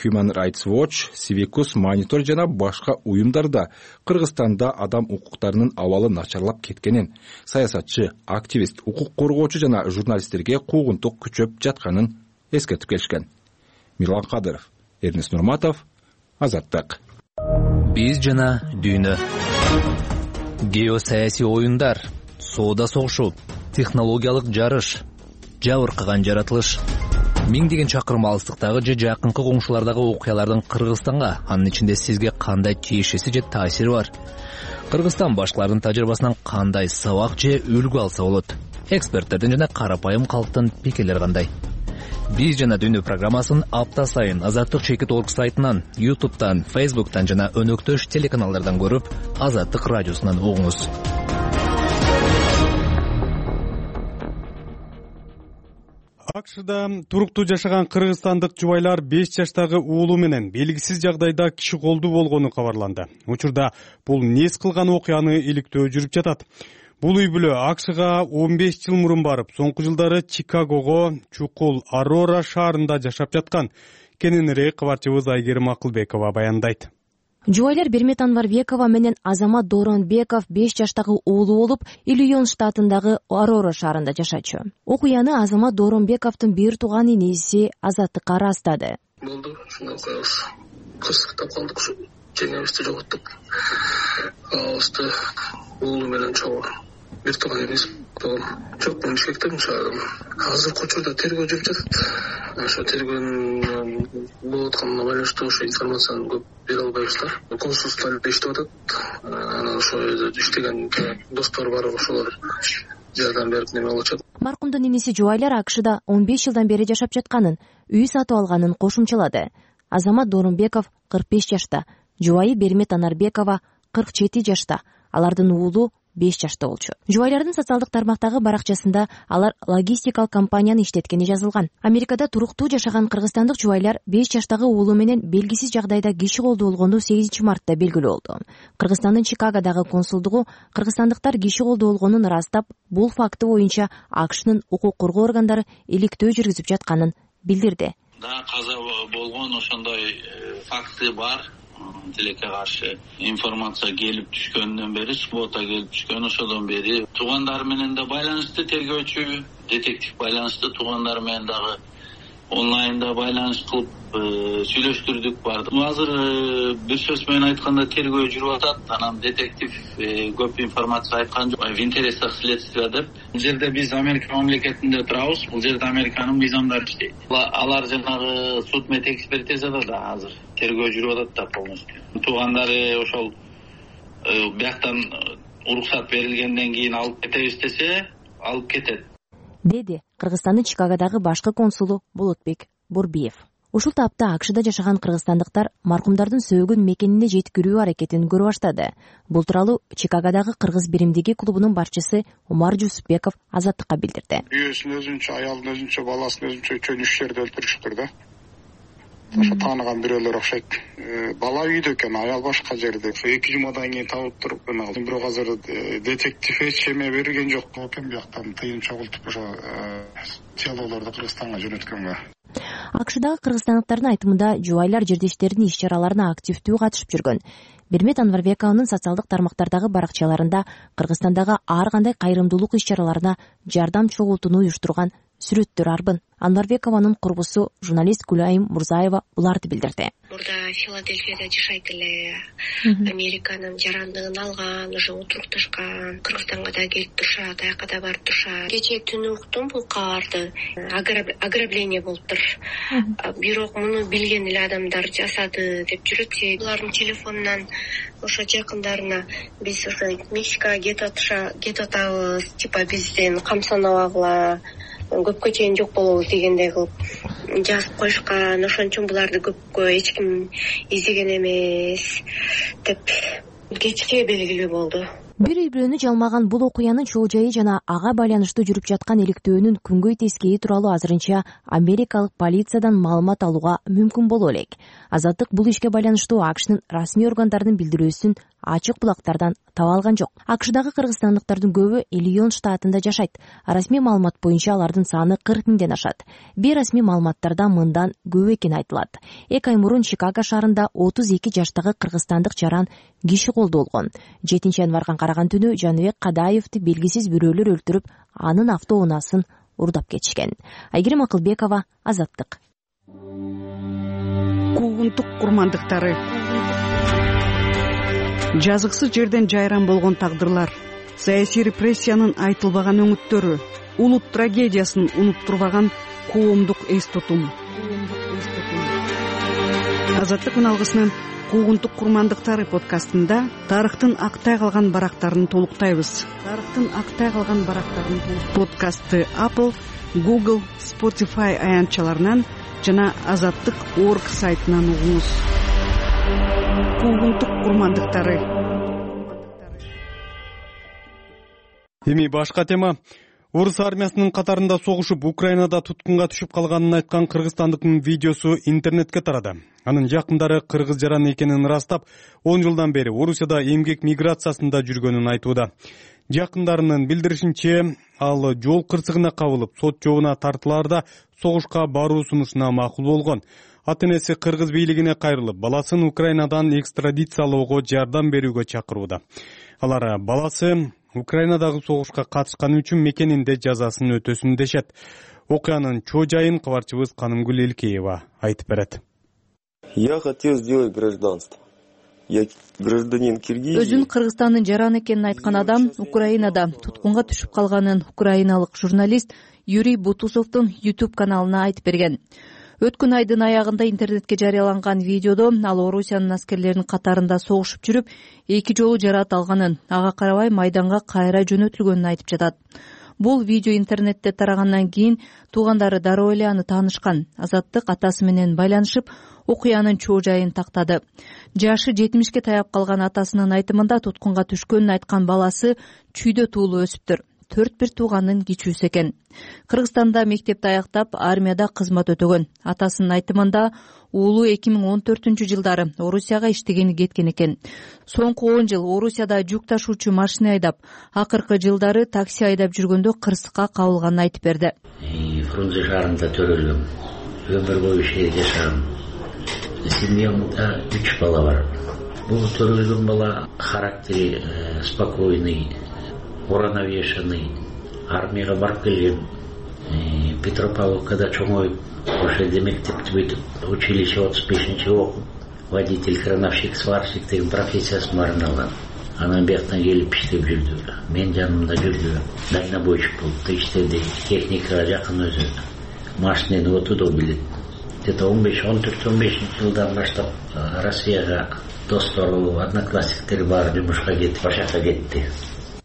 Human Rights Watch, Civicus Monitor жана башка уюмдар да Кыргызстанда адам укуктарынын абалы начарлап кеткенин, саясатчы, активист, укук коргоочу жана журналисттерге куугунтук күчөп жатканын эскертип келишкен. Мирлан Кадыров, Эрнест Нурматов, Азаттык. Биз жана дүйнө. Геосаясий оюндар, соода согушу, технологиялык жарыш, жабыркаган жаратылыш. Миңдеген чакырым алыстыктагы же жакынкы коңшулардагы окуялардын Кыргызстанга, анын ичинде сизге кандай тиешеси же таасири бар? Кыргызстан башкалардын тажрыйбасынан кандай сабак же үлгү алса болот? Эксперттердин жана карапайым калктын пикирлери кандай? Биз жана дүйнө программасын апта сайын Азаттык.org сайтынан, YouTube'тан, Facebook'тан жана өнөктөш телеканалдардан көрүп, Азаттык радиосунан угуңуз. АКШда туруктуу жашаган кыргызстандык жубайлар 5 жаштагы уулу менен белгисиз жагдайда киши колдуу болгону кабарланды. Учурда бул нес кылган окуяны иликтөө жүрүп жатат. Бул үй бүлө АКШга 15 жыл мурун барып, соңку жылдары Чикагого, чукул Арора шаарында жашап жаткан. Кененирээк кабарчыбыз Айгерим Акылбекова баяндайт. Жубайлар Бермет Анварбекова менен Азамат Дооронбеков 5 жаштагы уулу болуп, Иллинойс штатындагы Арора шаарында жашачу. Окуяны Азамат Дооронбековдун бир тууган инеси Азаттыкка ырастады. Болду, ушундай окуябыз. Кырсыктап калдык, жеңебизди жоготтук. Алыбызды уулу менен чогуу бир тууган эмес болгон. Жок, мен шектем шаардым. Азыркы учурда тергөө жүрүп жатат. Ошо тергөөнүн болуп атканына байланыштуу ошо информацияны көп бере албайбыздар. Консулстволор иштеп атат. Анан ошо жерде иштеген достор бар, ошолор жардам берип неме кылышат. Маркумдун инеси жубайлар АКШда 15 жылдан бери жашап жатканын, үй сатып алганын кошумчалады. Азамат Дооронбеков 45 жашта, жубайы Бермет Анарбекова 47 жашта. Алардын уулу 5 жашта болчу. Жубайлардын социалдык тармактагы баракчасында алар логистикалык компанияны иштеткени жазылган. Америкада туруктуу жашаган кыргызстандык жубайлар 5 жаштагы уулу менен белгисиз жагдайда киши колду болгону 8 мартта белгилүү болду. Кыргызстандын Чикагодагы консулдугу кыргызстандыктар киши колду болгонун ырастап, бул факты боюнча АКШнын укук коргоо органдары иликтөө жүргүзүп жатканын билдирди. Да, каза болгон ошондой факты бар. Тилекке каршы информация келип түшкөндөн бери, суббота келип түшкөн, ошодон бери туугандар менен да байланышты, тергөөчү детектив байланышты, туугандар менен дагы онлайнда байланыш кылып сүйлөштүрдүк барды. Азыр бир сөз менен айтканда тергөө жүрүп атат. Анан детектив көп информация айткан жок. В интересах следствия деп. Бул жерде биз Америка мамлекетинде турабыз. Бул жерде Американын мыйзамдары иштейт. Алар жанагы суд мет экспертизада да азыр тергөө жүрүп атат да полностью. Туугандары ошол бияктан уруксат берилгенден кийин алып кетебиз десе, алып кетет, деди Кыргызстандын Чикагодагы башкы консулу Болотбек Борбиев. Ушул тапта АКШда жашаган кыргызстандыктар маркумдардын сөөгүн мекенине жеткирүү аракетин көрө баштады. Бул тууралуу Чикагодагы кыргыз биримдиги клубунун башчысы Умар Жусупбеков Азаттыкка билдирди. Үйөсүн өзүнчө, аялын өзүнчө, баласын өзүнчө чөөн үч жерде өлтүрүштүр да. Ошо тааныган бирөөлөр окшойт. Бала үйдө экен, аял башка жерде. Ошо 2 жумадан кийин табып туруп, бирок азыр детектив эч эме берген жок экен, бияктан тыйын чогултуп ошо телолорду Кыргызстанга жөнөткөнгө. АКШдагы кыргызстандыктардын айтымында жубайлар жердештеринин иш-чараларына активдүү катышып жүргөн. Бермет Анварбековнун социалдык тармактардагы баракчаларында Кыргызстандагы ар кандай кайрымдуулук иш-чараларына жардам чогултууну уюштурган сүрөттөр арбын. Анварбекованын курбусу журналист Гүлайым Мурзаева буларды билдирди. Мурда Филадельфияда жашайт эле. Американын жарандыгын алган, уже отурукташкан. Кыргызстанга да келип турушат, аяка да барып турушат. Кечээ түнү уктум бул кабарды. Ограбление болуптур. Бирок муну билген эле адамдар жасады деп жүрөт. Булардын телефонунан ошо жакындарына биз ошо Мексикага кетип атабыз, типа бизден камсанабагыла, көпкө чейин жок болобуз дегендей кылып жазып коюшкан. Ошон үчүн буларды көпкө эч ким издеген эмес деп кечке белгилүү болду. Бир-бирөөнү жалмаган бул окуянын чоо жайы жана ага байланыштуу жүрүп жаткан иликтөөнүн күнгөй тескейи тууралуу азырынча америкалык полициядан маалымат алууга мүмкүн боло элек. Азаттык бул ишке байланыштуу АКШнын расмий органдарынын билдирүүсүн ачык булактардан таба алган жок. АКШдагы кыргызстандыктардын көбү Иллинойс штатында жашайт. Расмий маалымат боюнча алардын саны 40 миңден ашат. Бейрасмий маалыматтарда мындан көп экени айтылат. 2 ай мурун Чикаго шаарында 32 жаштагы кыргызстандык жаран киши колду болгон. 7-январга караган түнү Жаныбек Кадаевди белгисиз бирөөлөр өлтүрүп, анын автоунаасын урдап кетишкен. Айгерим Акылбекова, Азаттык. Куугунтук курмандыктары. Жазыксыз жерден жайран болгон тагдырлар, саясий репрессиянын айтылбаган өңүттөрү, улут трагедиясын унуттурбаган коомдук эс тутум. Азаттык алгысынын Куугунтук курмандыктары подкастында тарыхтын актай калган барактарын толуктайбыз. Подкастты Apple, Google, Spotify аянтчаларынан жана Азаттык.org сайтынан угуңуз. Куугунтук курмандыктары. Эми башка тема. Орус армиясынын катарында согушуп Украинада туткунга түшүп калганын айткан кыргызстандыктын видеосу интернетке тарады. Анын жакындары кыргыз жаран экенин ырастап, 10 жылдан бери Орусияда эмгек миграциясында жүргөнүн айтууда. Жакындарынын билдиришинче, ал жол кырсыгына кабылып, сот жообуна тартылаарда согушка баруу сунушуна макул болгон. Ата-энеси кыргыз бийлигине кайрылып, баласын Украинадан экстрадициялоого жардам берүүгө чакырууда. Алар баласы Украинадагы согушка катышканы үчүн мекенинде жазасын өтөсүн дешет. Окуянын чоо жайын кабарчыбыз Канымгүл Элкеева айтып берет. Я хотел сделать гражданство. Я гражданин Киргизии. Өзүн Кыргызстандын жаран экенин айткан адам Украинада туткунга түшүп калганын украиналык журналист Юрий Бутусовдун YouTube каналына айтып берген. Өткөн айдын аягында интернетке жарыяланган видеодо ал Орусиянын аскерлеринин катарында согушуп жүрүп, 2 жолу жараат алганын, ага карабай майданга кайра жөнөтүлгөнүн айтып жатат. Бул видео интернетте тарагандан кийин туугандары дароо эле аны таанышкан. Азаттык атасы менен байланышып, окуянын чоо жайын тактады. Жашы 70ке таяп калган атасынын айтымында туткунга түшкөнүн айткан баласы чүйдө туулуп өсүптүр. 4 тууганын кичүүсү экен. Кыргызстанда мектепти аяктап, армияда кызмат өтөгөн. Атасынын айтымында уулу 2014-жылдары Орусияга иштегени кеткен экен. Соңку 10 жыл Орусияда жүк ташуучу машина айдап, акыркы жылдары такси айдап жүргөндө кырсыкка кабылганын айтып берди. Фрунзе шаарында төрөлгөм. Өмүр бою жашагам. Семьямда 3 бала бар. Бул төрөлгөн бала характери спокойный, уравновешенный. Армияга барып келген. Петропавловкада чоңоюп, ошол жерде мектепти бүтүп, училище 35-чи окуп, водитель, крановщик, сварщик деген профессиясын баарын алган. Анан бияктан келип иштеп жүрдү. Мен жанымда жүрдү. Дальнобойщик болуп иштеди. Техникага жакын өзү. Машинени отудо билет. Где-то 14-15 жылдан баштап Россияга достору, одноклассниктери бар жумушка кетип, ошака кетти.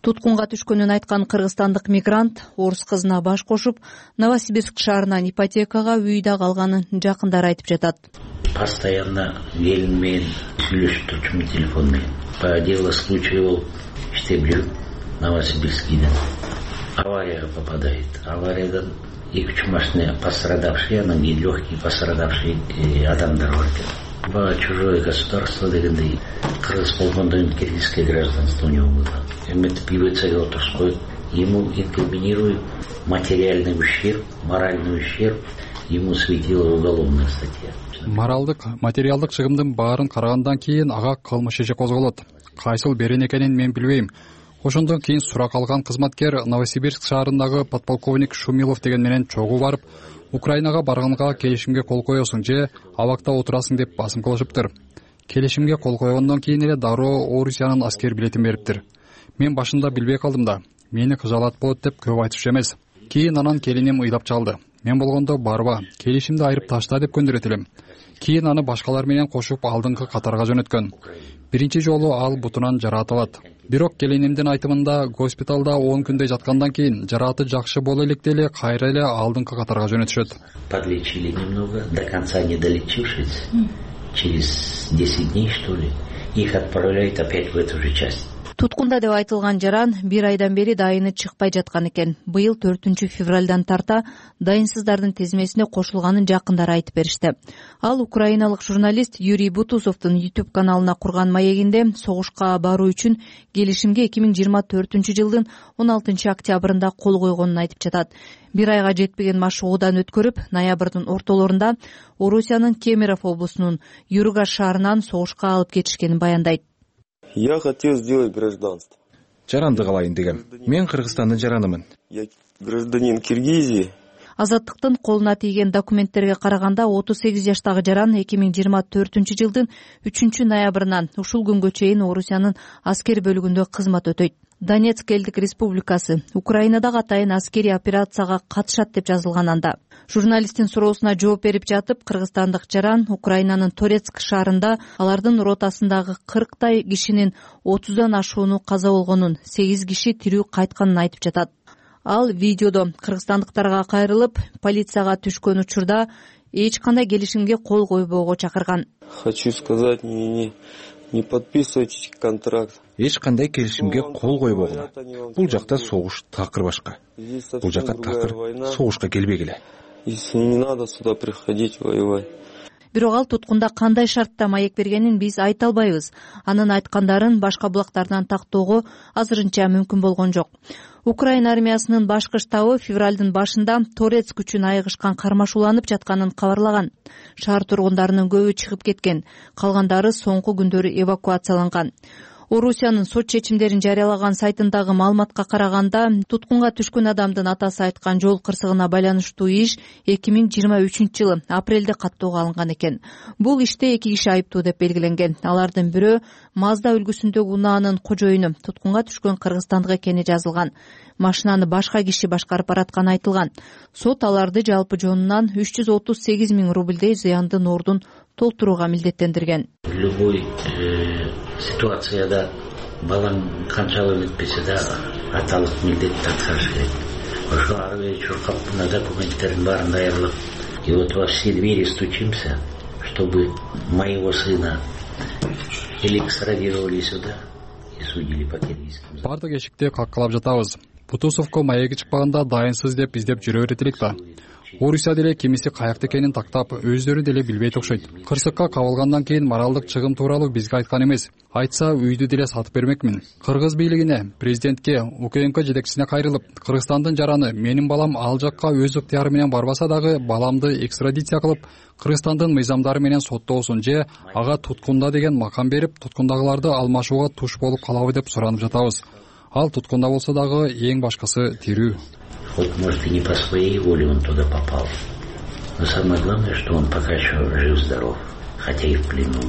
Туткунга түшкөнүн айткан кыргызстандык мигрант орус кызына баш кошуп, Новосибирск шаарынан ипотекага үйдө калганын жакындары айтып жатат. Постоянно келин менен сүйлөшүп турчумун телефон менен. По делу случая болуп иштеп жүрүп, Новосибирскийден аварияга попадает. Авариядан 2-3 машина пострадавшие, анан кийин легкий пострадавший адамдар бар экен. Чужое государство дегендей, кыргыз болгондон киргизское гражданство у него было. Эметип ИВЦге отурсуп коюп, ему инкриминируют материальный ущерб, моральный ущерб, ему светила уголовная статья. Материалдык чыгымдын баарын карагандан кийин ага кылмыш иши козголот. Кайсыл берен экенин мен билбейм. Ошондон кийин сурак алган кызматкер Новосибирск шаарындагы подполковник Шумилов деген менен чогуу барып, Украинага барганга келишимге кол коесуң же абакта отурасың деп басым кылышыптыр. Келишимге кол койгондон кийин эле дароо Орусиянын аскер билетин бериптир. Мен башында билбей калдым да, мени кыжаалат болот деп көп айтышчу эмес. Кийин анан келиним ыйлап чалды. Мен болгондо барба, келишимди айырып ташта деп көндүрөт элем. Кийин аны башкалар менен кошуп алдыңкы катарга жөнөткөн. Биринчи жолу ал бутунан жараат алат. Бирок келинимдин айтымында госпиталда 10 күндөй жаткандан кийин жарааты жакшы боло электе эле кайра эле алдыңкы катарга жөнөтүшөт. Подлечили немного, до конца не долечившись, через 10 дней, что ли, их отправляют опять в эту же часть. Туткунда деп айтылган жаран 1 айдан бери дайыны чыкпай жаткан экен. Быйыл 4-февралдан тарта дайынсыздардын тизмесине кошулганын жакындары айтып беришти. Ал украиналык журналист Юрий Бутусовдун YouTube каналына курган маегинде согушка баруу үчүн келишимге 2024-жылдын 16-октябрында кол койгонун айтып жатат. 1 айга жетпеген машыгуудан өткөрүп, ноябрдын ортолорунда Орусиянын Кемерово облусунун Юргаш шаарынан согушка алып кетишкенин баяндайт. Я хотел сделать гражданство. Жаранды калайын дегем. Мен Кыргызстандын жаранымын. Я гражданин Киргизии. Азаттыктын колуна тийген документтерге караганда 38 жаштагы жаран 2024-жылдын 3-ноябрынан ушул күнгө чейин Орусиянын аскер бөлүгүндө кызмат өтөйт. Донецк элдик республикасы Украинадагы атайын аскерий операцияга катышат деп жазылган анда. Журналисттин суроосуна жооп берип жатып, кыргызстандык жаран Украинанын Торецк шаарында алардын ротасындагы 40 кишинин 30дан ашууну каза болгонун, 8 киши тирүү кайтканын айтып жатат. Ал видеодо кыргызстандыктарга кайрылып, полицияга түшкөн учурда эч кандай келишимге кол койбоого чакырган. Хочу сказать, не подписывайте контракт. Эч кандай келишимге кол койбогула. Бул жакта согуш такыр башка. Бул жака такыр согушка келбегиле. Если не надо сюда приходить воевать. Бирок ал туткунда кандай шартта маек бергенин биз айта албайбыз. Анын айткандарын башка булактардан тактоого азырынча мүмкүн болгон жок. Украина армиясынын башкы штабы февралдын башында Торецк үчүн айыгышкан кармашууланып жатканын кабарлаган. Шаар тургундарынын көбү чыгып кеткен, калгандары соңку күндөрү эвакуацияланган. Орусиянын сот чечимдерин жарыялаган сайтындагы маалыматка караганда, туткунга түшкөн адамдын атасы айткан жол кырсыгына байланыштуу иш 2023-жылы апрелде каттоого алынган экен. Бул иште 2 киши айыптуу деп белгиленген. Алардын бирөө Мазда үлгүсүндөгү унаанын кожоюну, туткунга түшкөн кыргызстандык экени жазылган. Машинаны башка киши башкарып баратканы айтылган. Сот аларды жалпы жонунан 338 000 рубльдей зыяндын ордун толтурууга милдеттендирген. Любой ситуацияда балаң канчалык өтпесе да аталык милдетти аткарыш керек. ошо ары бери чуркап мына документтердин баарын даярдап, и вот во все двери стучимся, чтобы моего сына экстрадировали сюда и судили по киргизским. Бардык эшикти каккалап жатабыз. Бутусовго маеги чыкпаганда дайынсыз деп издеп жүрө берет элек да. Орусия деле кимиси каякта экенин тактап, өздөрү деле билбейт окшойт. Кырсыкка кабылгандан кийин моралдык чыгым тууралуу бизге айткан эмес. Айтса үйдү деле сатып бермекмин. Кыргыз бийлигине, президентке, УКМК жетекчисине кайрылып, Кыргызстандын жараны менин балам ал жакка өз ыктыяры менен барбаса дагы баламды экстрадиция кылып, Кыргызстандын мыйзамдары менен соттоосун же ага туткунда деген макам берип, туткундагыларды алмашууга туш болуп калабы деп суранып жатабыз. Ал туткунда болсо дагы эң башкасы тирүү. Вот, может, и не по своей воле он туда попал. Но самое главное, что он пока еще жив-здоров, хотя и в плену.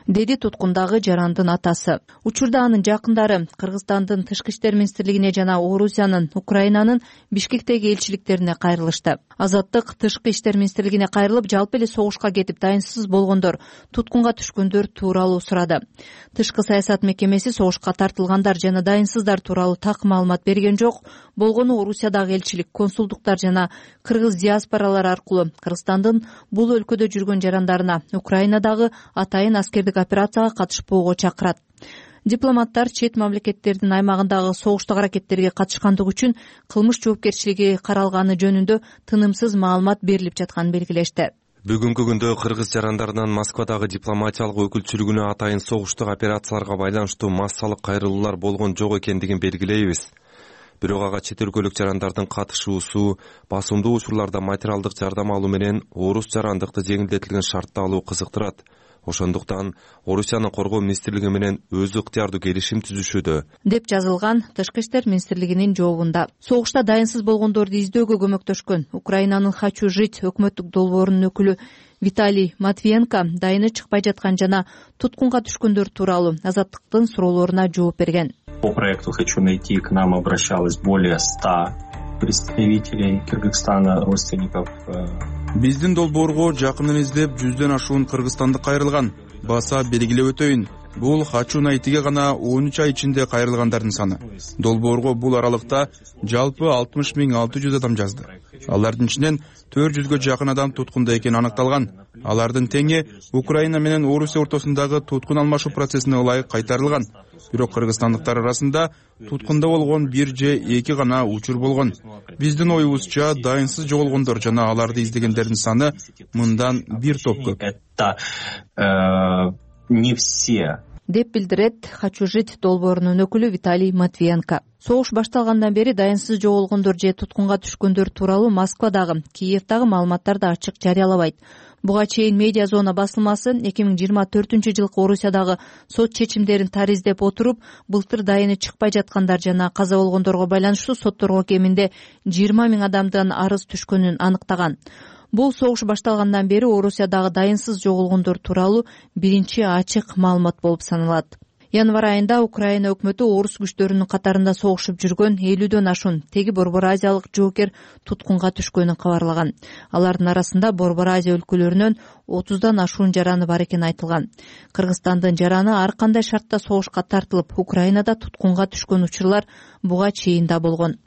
Деди туткундагы жарандын атасы. Учурда анын жакындары Кыргызстандын Тышкы иштер министрлигине жана Орусиянын Украинанын Бишкектеги элчиликтерине кайрылышты. Азаттык Тышкы иштер министрлигине кайрылып, жалпы эле согушка кетип дайынсыз болгондор, туткунга түшкөндөр тууралуу сурады. Тышкы саясат мекемеси согушка тартылгандар жана дайынсыздар тууралуу так маалымат берген жок. Болгону Орусиядагы элчилик, консулдуктар жана кыргыз диаспоралары аркылуу Кыргызстандын бул өлкөдө жүргөн жарандарына Украинадагы атайын аскердик операцияга катышпоого чакырат. Дипломаттар чет мамлекеттердин аймагындагы согуштук аракеттерге катышкандыгы үчүн кылмыш жоопкерчилиги каралганы жөнүндө тынымсыз маалымат берилип жатканын белгилешти. Бүгүнкү күндө кыргыз жарандарынан Москвадагы дипломатиялык өкүлчүлүгүнө атайын согуштук операцияларга байланыштуу массалык кайрылуулар болгон жок экендигин белгилейбиз. Бирок ага чет өлкөлүк жарандардын катышуусу, басымдуу учурларда материалдык жардам алуу менен орус жарандыкты жеңилдетилген шартта алуу кызыктырат. Ошондуктан Орусиянын коргоо министрлиги менен өзү ыктыярдуу келишим түзүшүүдө, деп жазылган Тышкы иштер министрлигинин жообунда. Согушта дайынсыз болгондорду издөөгө көмөктөшкөн Украинанын «Хочу жить» өкмөттүк долбоорунун өкүлү Виталий Матвиенко дайыны чыкпай жаткан жана туткунга түшкөндөр тууралуу Азаттыктын суроолоруна жооп берген. По проекту «Хочу найти» к нам обращалось более 100 представителей Кыргызстана, родственников. Биздин долбоорго жакынын издеп 100дөн ашуун кыргызстандык кайрылган. Баса белгилеп өтөйүн. Бул «Хочу найтиге» гана 13 ай ичинде кайрылгандардын саны. Долбоорго бул аралыкта жалпы 60.600 адам жазды. Алардын ичинен 400гө жакын адам туткунда экени аныкталган. Алардын теңи Украина менен Орусия ортосундагы туткун алмашуу процессине ылайык кайтарылган. Бирок кыргызстандыктар арасында туткунда болгон 1 же 2 гана учур болгон. Биздин оюбузча дайынсыз жоголгондор жана аларды издегендердин саны мындан 1 топ көп. Не все. Деп билдирет «Хочу жить» долбоорунун өкүлү Виталий Матвиенко. Согуш башталгандан бери дайынсыз жоголгондор же туткунга түшкөндөр тууралуу Москвадагы, Киевдагы маалыматтарды ачык жарыялабайт. Буга чейин Медиа Зона басылмасы 2024-жылкы Орусиядагы сот чечимдерин тариздеп отуруп, былтыр дайыны чыкпай жаткандар жана каза болгондорго байланыштуу сотторго кеминде 20 000 адамдан арыз түшкөнүн аныктаган. Бул согуш башталгандан бери Орусиядагы дайынсыз жоголгондор тууралуу биринчи ачык маалымат болуп саналат. Январь айында Украина өкмөтү орус күчтөрүнүн катарында согушуп жүргөн 50дөн ашуун теги Борбор Азиялык жоокер туткунга түшкөнүн кабарлаган. Алардын арасында Борбор Азия өлкөлөрүнөн 30дан ашуун жараны бар экени айтылган. Кыргызстандын жараны ар кандай шартта согушка тартылып, Украинада туткунга түшкөн учурлар буга чейин да болгон.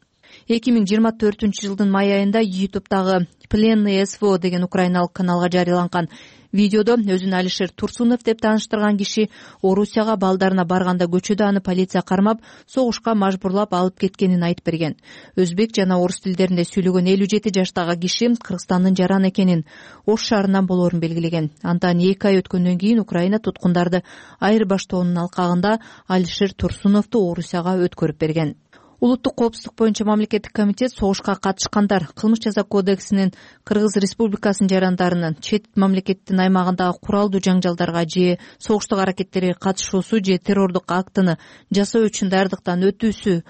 2024-жылдын май айында YouTube'дагы Пленный СВО деген украиналык каналга жарыяланган видеодо өзүн Алишер Турсунов деп тааныштырган киши Орусияга балдарына барганда көчөдө аны полиция кармап, согушка мажбурлап алып кеткенин айтып берген. Өзбек жана орус тилдеринде сүйлөгөн 57 жаштагы киши Кыргызстандын жараны экенин, Ош шаарынан болоорун белгилеген. Андан 2 ай өткөндөн кийин Украина туткундарды айырбаштоонун алкагында Алишер Турсуновду Орусияга өткөрүп берген. Улуттук коопсуздук боюнча мамлекеттик комитет согушка катышкандар Кылмыш жаза кодексинин Кыргыз Республикасынын жарандарынын чет мамлекеттин аймагындагы куралдуу жаңжалдарга же согуштук аракеттерге катышуусу же террордук актыны жасоо үчүн даярдыктан өтүүсү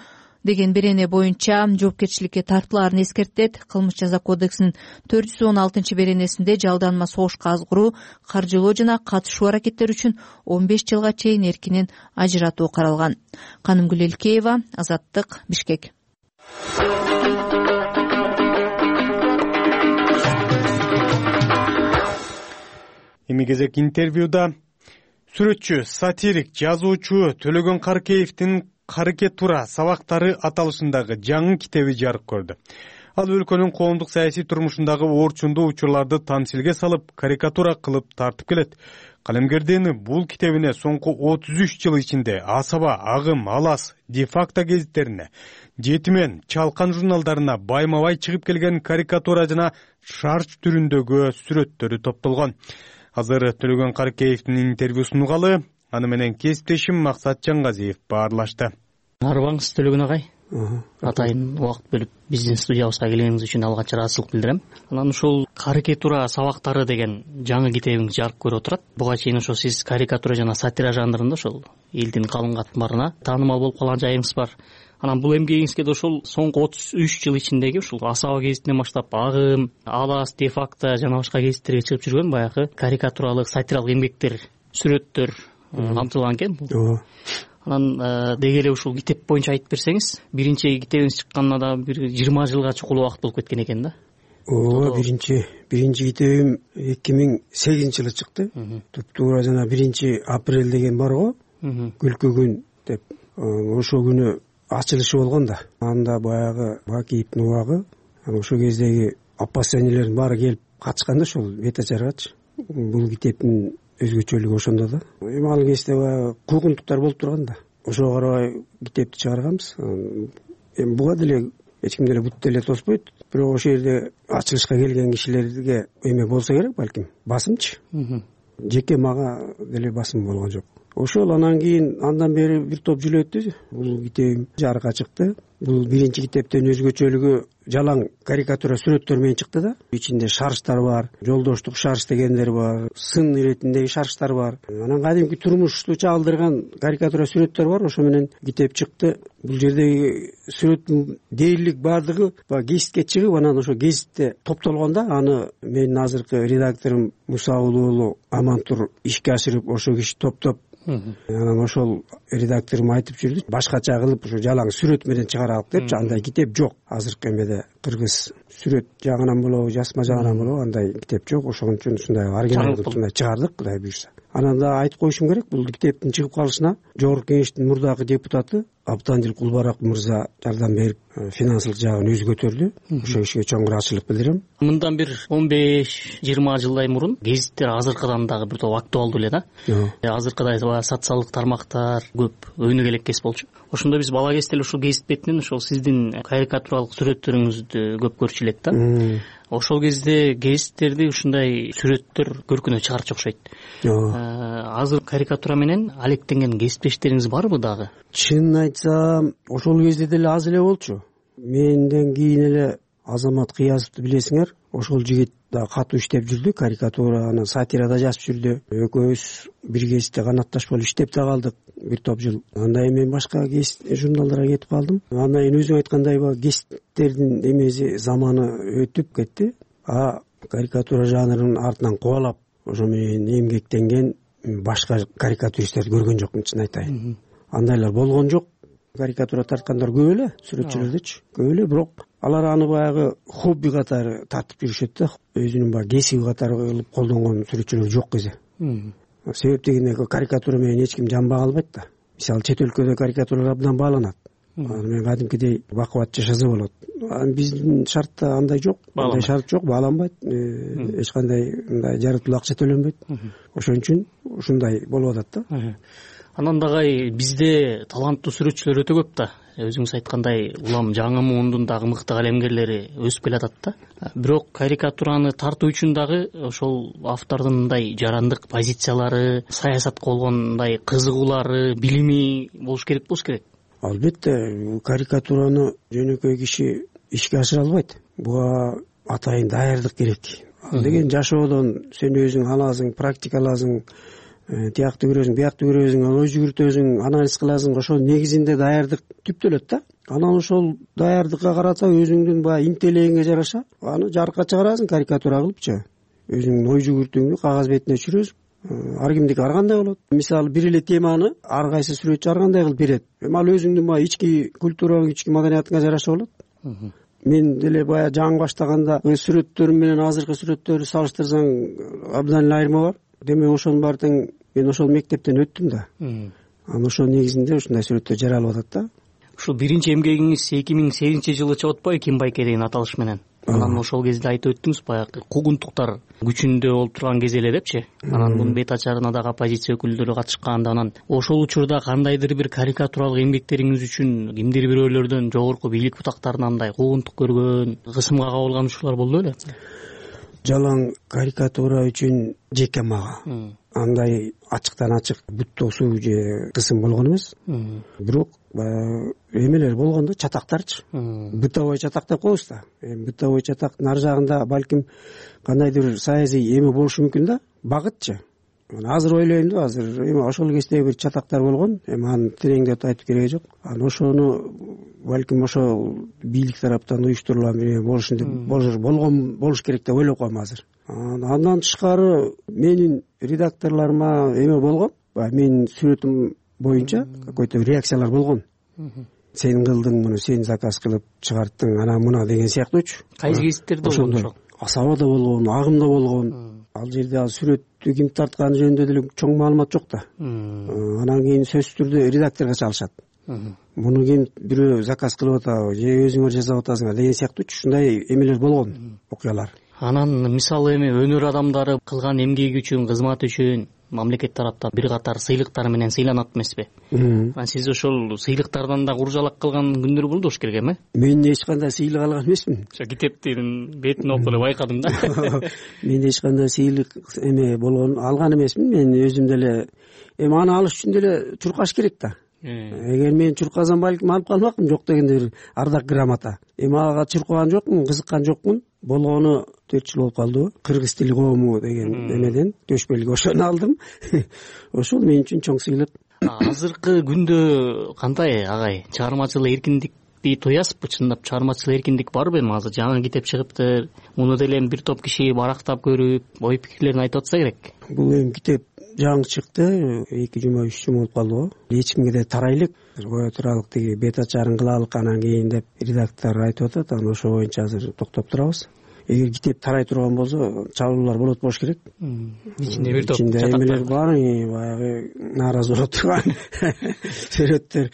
деген берене боюнча жоопкерчиликке тартылаарын эскертет. Кылмыш жаза кодексинин 416 беренесинде жалданма согушка азгыруу, каржылоо жана катышуу аракеттери үчүн 15 жылга чейин эркинен ажыратуу каралган. Канымгүл Элкеева, Азаттык, Бишкек. Эми кезек интервьюда сүрөтчү, сатирик, жазуучу Төлөгөн Каркеевдин карикатура сабактары аталышындагы жаңы китеби жарык көрдү. Ал өлкөнүн коомдук саясий турмушундагы орчундуу учурларды тамсилге салып, карикатура кылып тартып келет. Калемгердин бул китебине соңку 33 жыл ичинде Асаба, Агым, Алас, Де-факто гезиттерине, Жетимен, Чалкан журналдарына байма-бай чыгып келген карикатура жана шарч түрүндөгү сүрөттөрү топтолгон. Азыр Төлөгөн Карыкеевдин интервьюсун угалы, аны менен кесиптешим Максат Жаңгазиев баарлашты. Арыбаңыз Төлөгөн агай. Атайын убакыт бөлүп биздин студиябызга келгениңиз үчүн алгач ыраазычылык билдирем. Анан ушул карикатура сабактары деген жаңы китебиңиз жарык көрүп отурат. Буга чейин ошо сиз карикатура жана сатира жанрында ошол элдин калың катмарына таанымал болуп калган жайыңыз бар. Анан бул эмгегиңизге да ошол соңку 33 жыл ичиндеги ушул Асаба гезитинен баштап Агым, Алас, Де-факто жана башка гезиттерге чыгып жүргөн баягы карикатуралык, сатиралык эмгектер, сүрөттөр камтылган экен. Анан деги эле ушул китеп боюнча айтып берсеңиз, биринчи китебиңиз чыкканына да бир 20 жылга чукул убакыт болуп кеткен экен да. Ооба, биринчи китебим 2008-жылы чыкты. Туптуура жана 1-апрель деген бар го, күлкү күн деп. Ошол күнү ачылышы болгон да. Анда баягы Бакиевдин убагы, ошол кездеги оппозиционерлердин баары келип катышканда ошол бет ачаргачы. Бул китептин өзгөчөлүгү ошондо да. Эми ал кезде баягы куугунтуктар болуп турган да. Ошого карабай китепти чыгарганбыз. Эми буга деле эч ким деле бут деле тоспойт. Бирок ошол жерде ачылышка келген кишилерге эме болсо керек, балким басымчы. Жеке мага деле басым болгон жок. Ошол анан кийин андан бери бир топ жыл өттү. Бул китебим жарыкка чыкты. Бул биринчи китептен өзгөчөлүгү жалаң карикатура сүрөттөр менен чыкты да. Ичинде шарчтар бар, жолдоштук шарч дегендер бар, сын иретиндеги шарчтар бар. Анан кадимки турмушту чагылдырган карикатура сүрөттөр бар. Ошо менен китеп чыкты. Бул жердеги сүрөттүн дээрлик баардыгы гезитке чыгып, анан ошо гезитте топтолгон да. Аны менин азыркы редакторум Муса уулу Амантур ишке ашырып, ошо киши топтоп, анан ошол редакторум айтып жүрдү, башкача кылып ушу жалаң сүрөт менен чыгаралык депчи. Андай китеп жок азыркы эмеде. Кыргыз сүрөт жагынан болобу, жазма жагынан болобу андай китеп жок. Ошон үчүн ушундай оригинал кылып чыгардык, Кудай буйрса. Анан да айтып коюшум керек, бул китептин чыгып калышына Жогорку Кеңештин мурдагы депутаты Абдандил Кулбарак мырза жардам берип, финансылык жагын өзү көтөрдү. Ошол кишиге чоң ыраазычылык билдирем. Мындан бир 15-20 жылдай мурун гезиттер азыркыдан дагы бир топ актуалдуу эле да. Азыркыдай социалдык тармактар көп өнүгө элеккес болчу. Ошондо биз бала кезде эле ушул гезит бетинен ошол сиздин карикатуралык сүрөттөрүңүздү көп көрчү элек да. Ошол кезде гезиттерди ушундай сүрөттөр көркүнө чыгарчу окшойт. Азыр карикатура менен алектенген кесиптештериңиз барбы дагы? Чынын айтсам, ошол кезде деле аз эле болчу. Менден кийин эле Азамат Кыязовду билесиңер, ошол жигит да катуу иштеп жүрдү, карикатура, анан сатира да жазып жүрдү. Экөөбүз бир гезитте канатташ болуп иштеп да калдык бир топ жыл. Андан кийин мен башка гезит журналдарга кетип калдым. Андан кийин өзүң айткандай гезиттердин эмеси заманы өтүп кетти. Карикатура жанрынын артынан кубалап ошо менен эмгектенген башка карикатуристтерди көргөн жокмун, чын айтайын. Андайлар болгон жок. Карикатура тарткандар көп эле, сүрөтчүлөрдөчү көп эле, бирок алар аны баягы хобби катары тартып жүрүшөт да. Өзүнүн баягы кесиби катары кылып колдонгон сүрөтчүлөр жок кезде. Себеп дегенде карикатура менен эч ким жанбай калбайт да. Мисалы чет өлкөдө карикатуралар абдан бааланат. Аны менен кадимкидей бакубат жашаса болот. Биздин шартта андай жок, андай шарт жок, бааланбайт. Эч кандай мындай жаратылуу акча төлөнбөйт. Ошон үчүн ушундай болуп атат да. Анан дагы бизде таланттуу сүрөтчүлөр өтө көп да. Өзүңүз айткандай, улам жаңы муундун дагы мыкты калемгерлери өсүп келатат да. Бирок карикатураны тартуу үчүн дагы ошол автордун мындай жарандык позициялары, саясатка болгон мындай кызыгуулары, билими болуш керек. Албетте, карикатураны жөнөкөй киши ишке ашыра албайт. Буга атайын даярдык керек. Ал деген жашоодон сен өзүң аласың, практикаласың, тиякты көрөсүң, биякты көрөсүң, ой жүгүртөсүң, анализ кыласың. Ошол негизинде даярдык түптөлөт да. Анан ошол даярдыкка карата өзүңдүн баягы интеллегиңе жараша аны жарыкка чыгарасың карикатура кылыпчы. Өзүңдүн ой жүгүртүүңдү кагаз бетине түшүрөсүң. Ар кимдики ар кандай болот. Мисалы бир эле теманы ар кайсы сүрөтчү ар кандай кылып берет. Эми ал өзүңдүн баягы ички культураңа, ички маданиятыңа жараша болот. Мен деле баягы жаңы баштаганда сүрөттөрүм менен азыркы сүрөттөрдү салыштырсаң абдан эле айырма бар. Демек ошонун баары тең мен ошол мектептен өттүм да. анан ошонун негизинде ушундай сүрөттөр жаралып атат да. Ушул биринчи эмгегиңиз 2008-жылы чыгып атпайбы, Ким Байке деген аталыш менен? Анан ошол кезде айтып өттүңүз, баягы куугунтуктар күчүндө болуп турган кез эле депчи. Анан мунун бет ачарына дагы оппозиция өкүлдөрү катышкан. Анан ошол учурда кандайдыр бир карикатуралык эмгектериңиз үчүн кимдир бирөөлөрдөн жогорку бийлик бутактарынан мындай куугунтук көргөн, кысымга кабылган учурлар болду беле? Жалаң карикатура үчүн жеке мага андай ачыктан ачык буттоосуу же кысым болгон эмес. Бирок эмелер болгон да, чатактарчы. Бытовой чатак деп коебуз да. Бытовой чатактын ар жагында балким кандайдыр саясий эме болушу мүмкүн да, багытчы. Азыр ойлойм да, азыр эми ошол кездеги бир чатактар болгон, эми аны тереңдеп айтып кереги жок. Анан ошону балким ошол бийлик тараптан уюштурулган бир болуш керек деп ойлоп коем азыр. Андан тышкары менин редакторлорума эме болгон, менин сүрөтүм боюнча какой-то реакциялар болгон. Сен кылдың муну, сен заказ кылып чыгарттың, анан мына деген сыяктуучу. Кайсы кесиптерде болгон ошол? Асабада болгон, агымда болгон. Ал жерде сүрөттү ким тартканы жөнүндө деле чоң маалымат жок да. Анан кийин сөзсүз түрдө редакторго чалышат. Муну ким бирөө заказ кылып атабы же өзүңөр жасап атасыңар деген сыяктуучу ушундай эмелер болгон, окуялар. Анан мисалы эми өнөр адамдары кылган эмгеги үчүн, кызматы үчүн мамлекет тараптан бир катар сыйлыктар менен сыйланат эмеспи? Анан сиз ошол сыйлыктардан да куржалак кылган күндөр болду болуш керек эми? Мен эч кандай сыйлык алган эмесмин. Ошо китептин бетин окуп эле байкадым да. Мен эч кандай сыйлык эме болгон алган эмесмин. Мен өзүм деле эми аны алыш үчүн деле чуркаш керек да. Эгер мен чуркасам балким алып калмакмын, жок дегенде бир ардак грамота. Эми ага чуркаган жокмун, кызыккан жокмун. Болгону 4 жыл болуп калды. Кыргыз тили коому деген эмеден төшбөлгө ошону алдым. Ошол мен үчүн чоң сыйлык. Азыркы күндө кандай агай? Чыгармачылык эркиндикти тоясызбы? Чындап чыгармачылык эркиндик барбы эми? Азыр жаңы китеп чыгыптыр. Муну деле бир топ киши барактап көрүп, ой пикирлерин айтып атса керек. Бул эми китеп жаңы чыкты, 2 жума 3 жума болуп калды. Эч кимге да тарайлык, кое туралык, тиги бет ачарын кылалык анан кийин деп редактор айтып атат. Анан ошо боюнча азыр токтоп турабыз. Эгер китеп тарай турган болсо, чабуулар болот болуш керек. Ичинде бир топ эмелер бар, баягы нааразы болуп турган сүрөттөр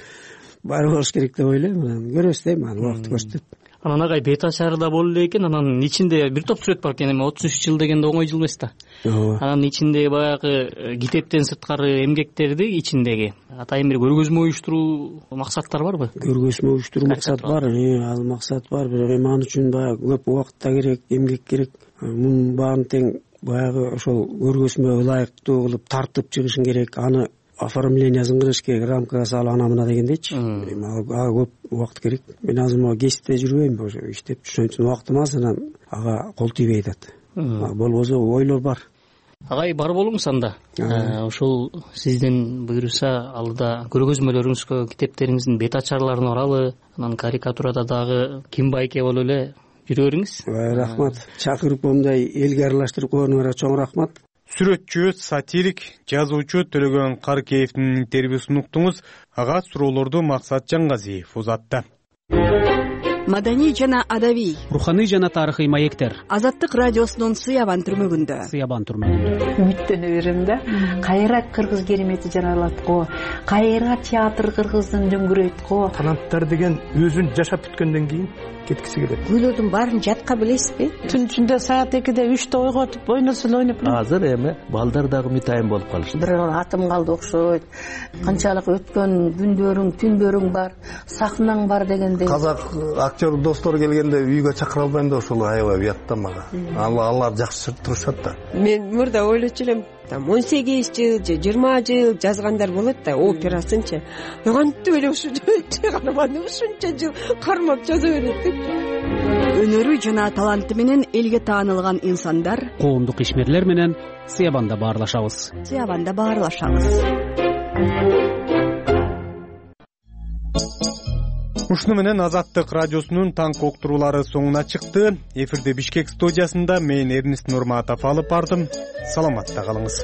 бар болуш керек деп ойлойм. Көрөбүз дейм, аны убакыт көрсөтөт. Анан агай бет ачары да болду эле экен, анан ичинде бир топ сүрөт бар экен, эми 33 жыл дегенде оңой жыл эмес да. Анан ичинде баягы китептен сырткары эмгектерди ичиндеги атайын бир көргөзмө уюштуруу максаттар барбы? Көргөзмө уюштуруу максат бар, ал максат бар, бирок эми ал үчүн баягы көп убакыт да керек, эмгек керек. Мунун баарын тең баягы ошол көргөзмөгө ылайыктуу кылып тартып чыгышың керек, аны оформлениясын кылыш керек, рамкага салып ана мына дегендейчи. Ага көп убакыт керек. Мен азыр могу кесипте жүрбөйм, ошо иштеп, ошон үчүн убактым аз, анан ага кол тийбей атат. Болбосо ойлор бар. Агай бар болуңуз анда. Ошол сизден буйруса алдыда көргөзмөлөрүңүзгө китептериңиздин бет ачарларын оралы, анан карикатурада дагы Ким Байке болуп эле жүрө бериңиз. Рахмат. Чакырып момундай элге аралаштырып койгонуңарга чоң рахмат. Сүрөтчү, сатирик, жазуучу Төлөгөн Каркеевдин интервьюсун уктуңуз. Ага суроолорду Максат Жаңгазиев узатты. Маданий жана адабий, руханий жана тарыхый маектер. Азаттык радиосунун Сыябан түрмөгүндө. Үмүттөнө берем да. Кайра кыргыз керемети жаралат го, кайра театр кыргыздын дөңгүрөйт го. Канаттар деген өзүн жашап бүткөндөн кийин кеткиси келет. Гүлөдүн баарын жатка билесизби? Түн ичинде саат 2-де 3-те ойготуп ойносо эле ойноп. Азыр эми балдар дагы мытайын болуп калышты. Бир атым калды окшойт. Канчалык өткөн күндөрүң, түндөрүң бар, сахнаң бар дегендей. Казак актер достор келгенде үйгө чакыра албайм да, ошол аябай уят да мага. Алар жакшы турушат да. Мен мурда ойлочу элем, 18 жыл же 20 жыл жазгандар болот да, операсынчы. Кантип эле ушу каарманды ушунча жыл кармап жаза берет деп. Өнөрү жана таланты менен элге таанылган инсандар, коомдук ишмерлер менен Сыябанда баарлашабыз. Ушуну менен Азаттык радиосунун таңкы уктуруулары соңуна чыкты. Эфирде Бишкек студиясында мен Эрнест Нурматов алып бардым. Саламатта калыңыз.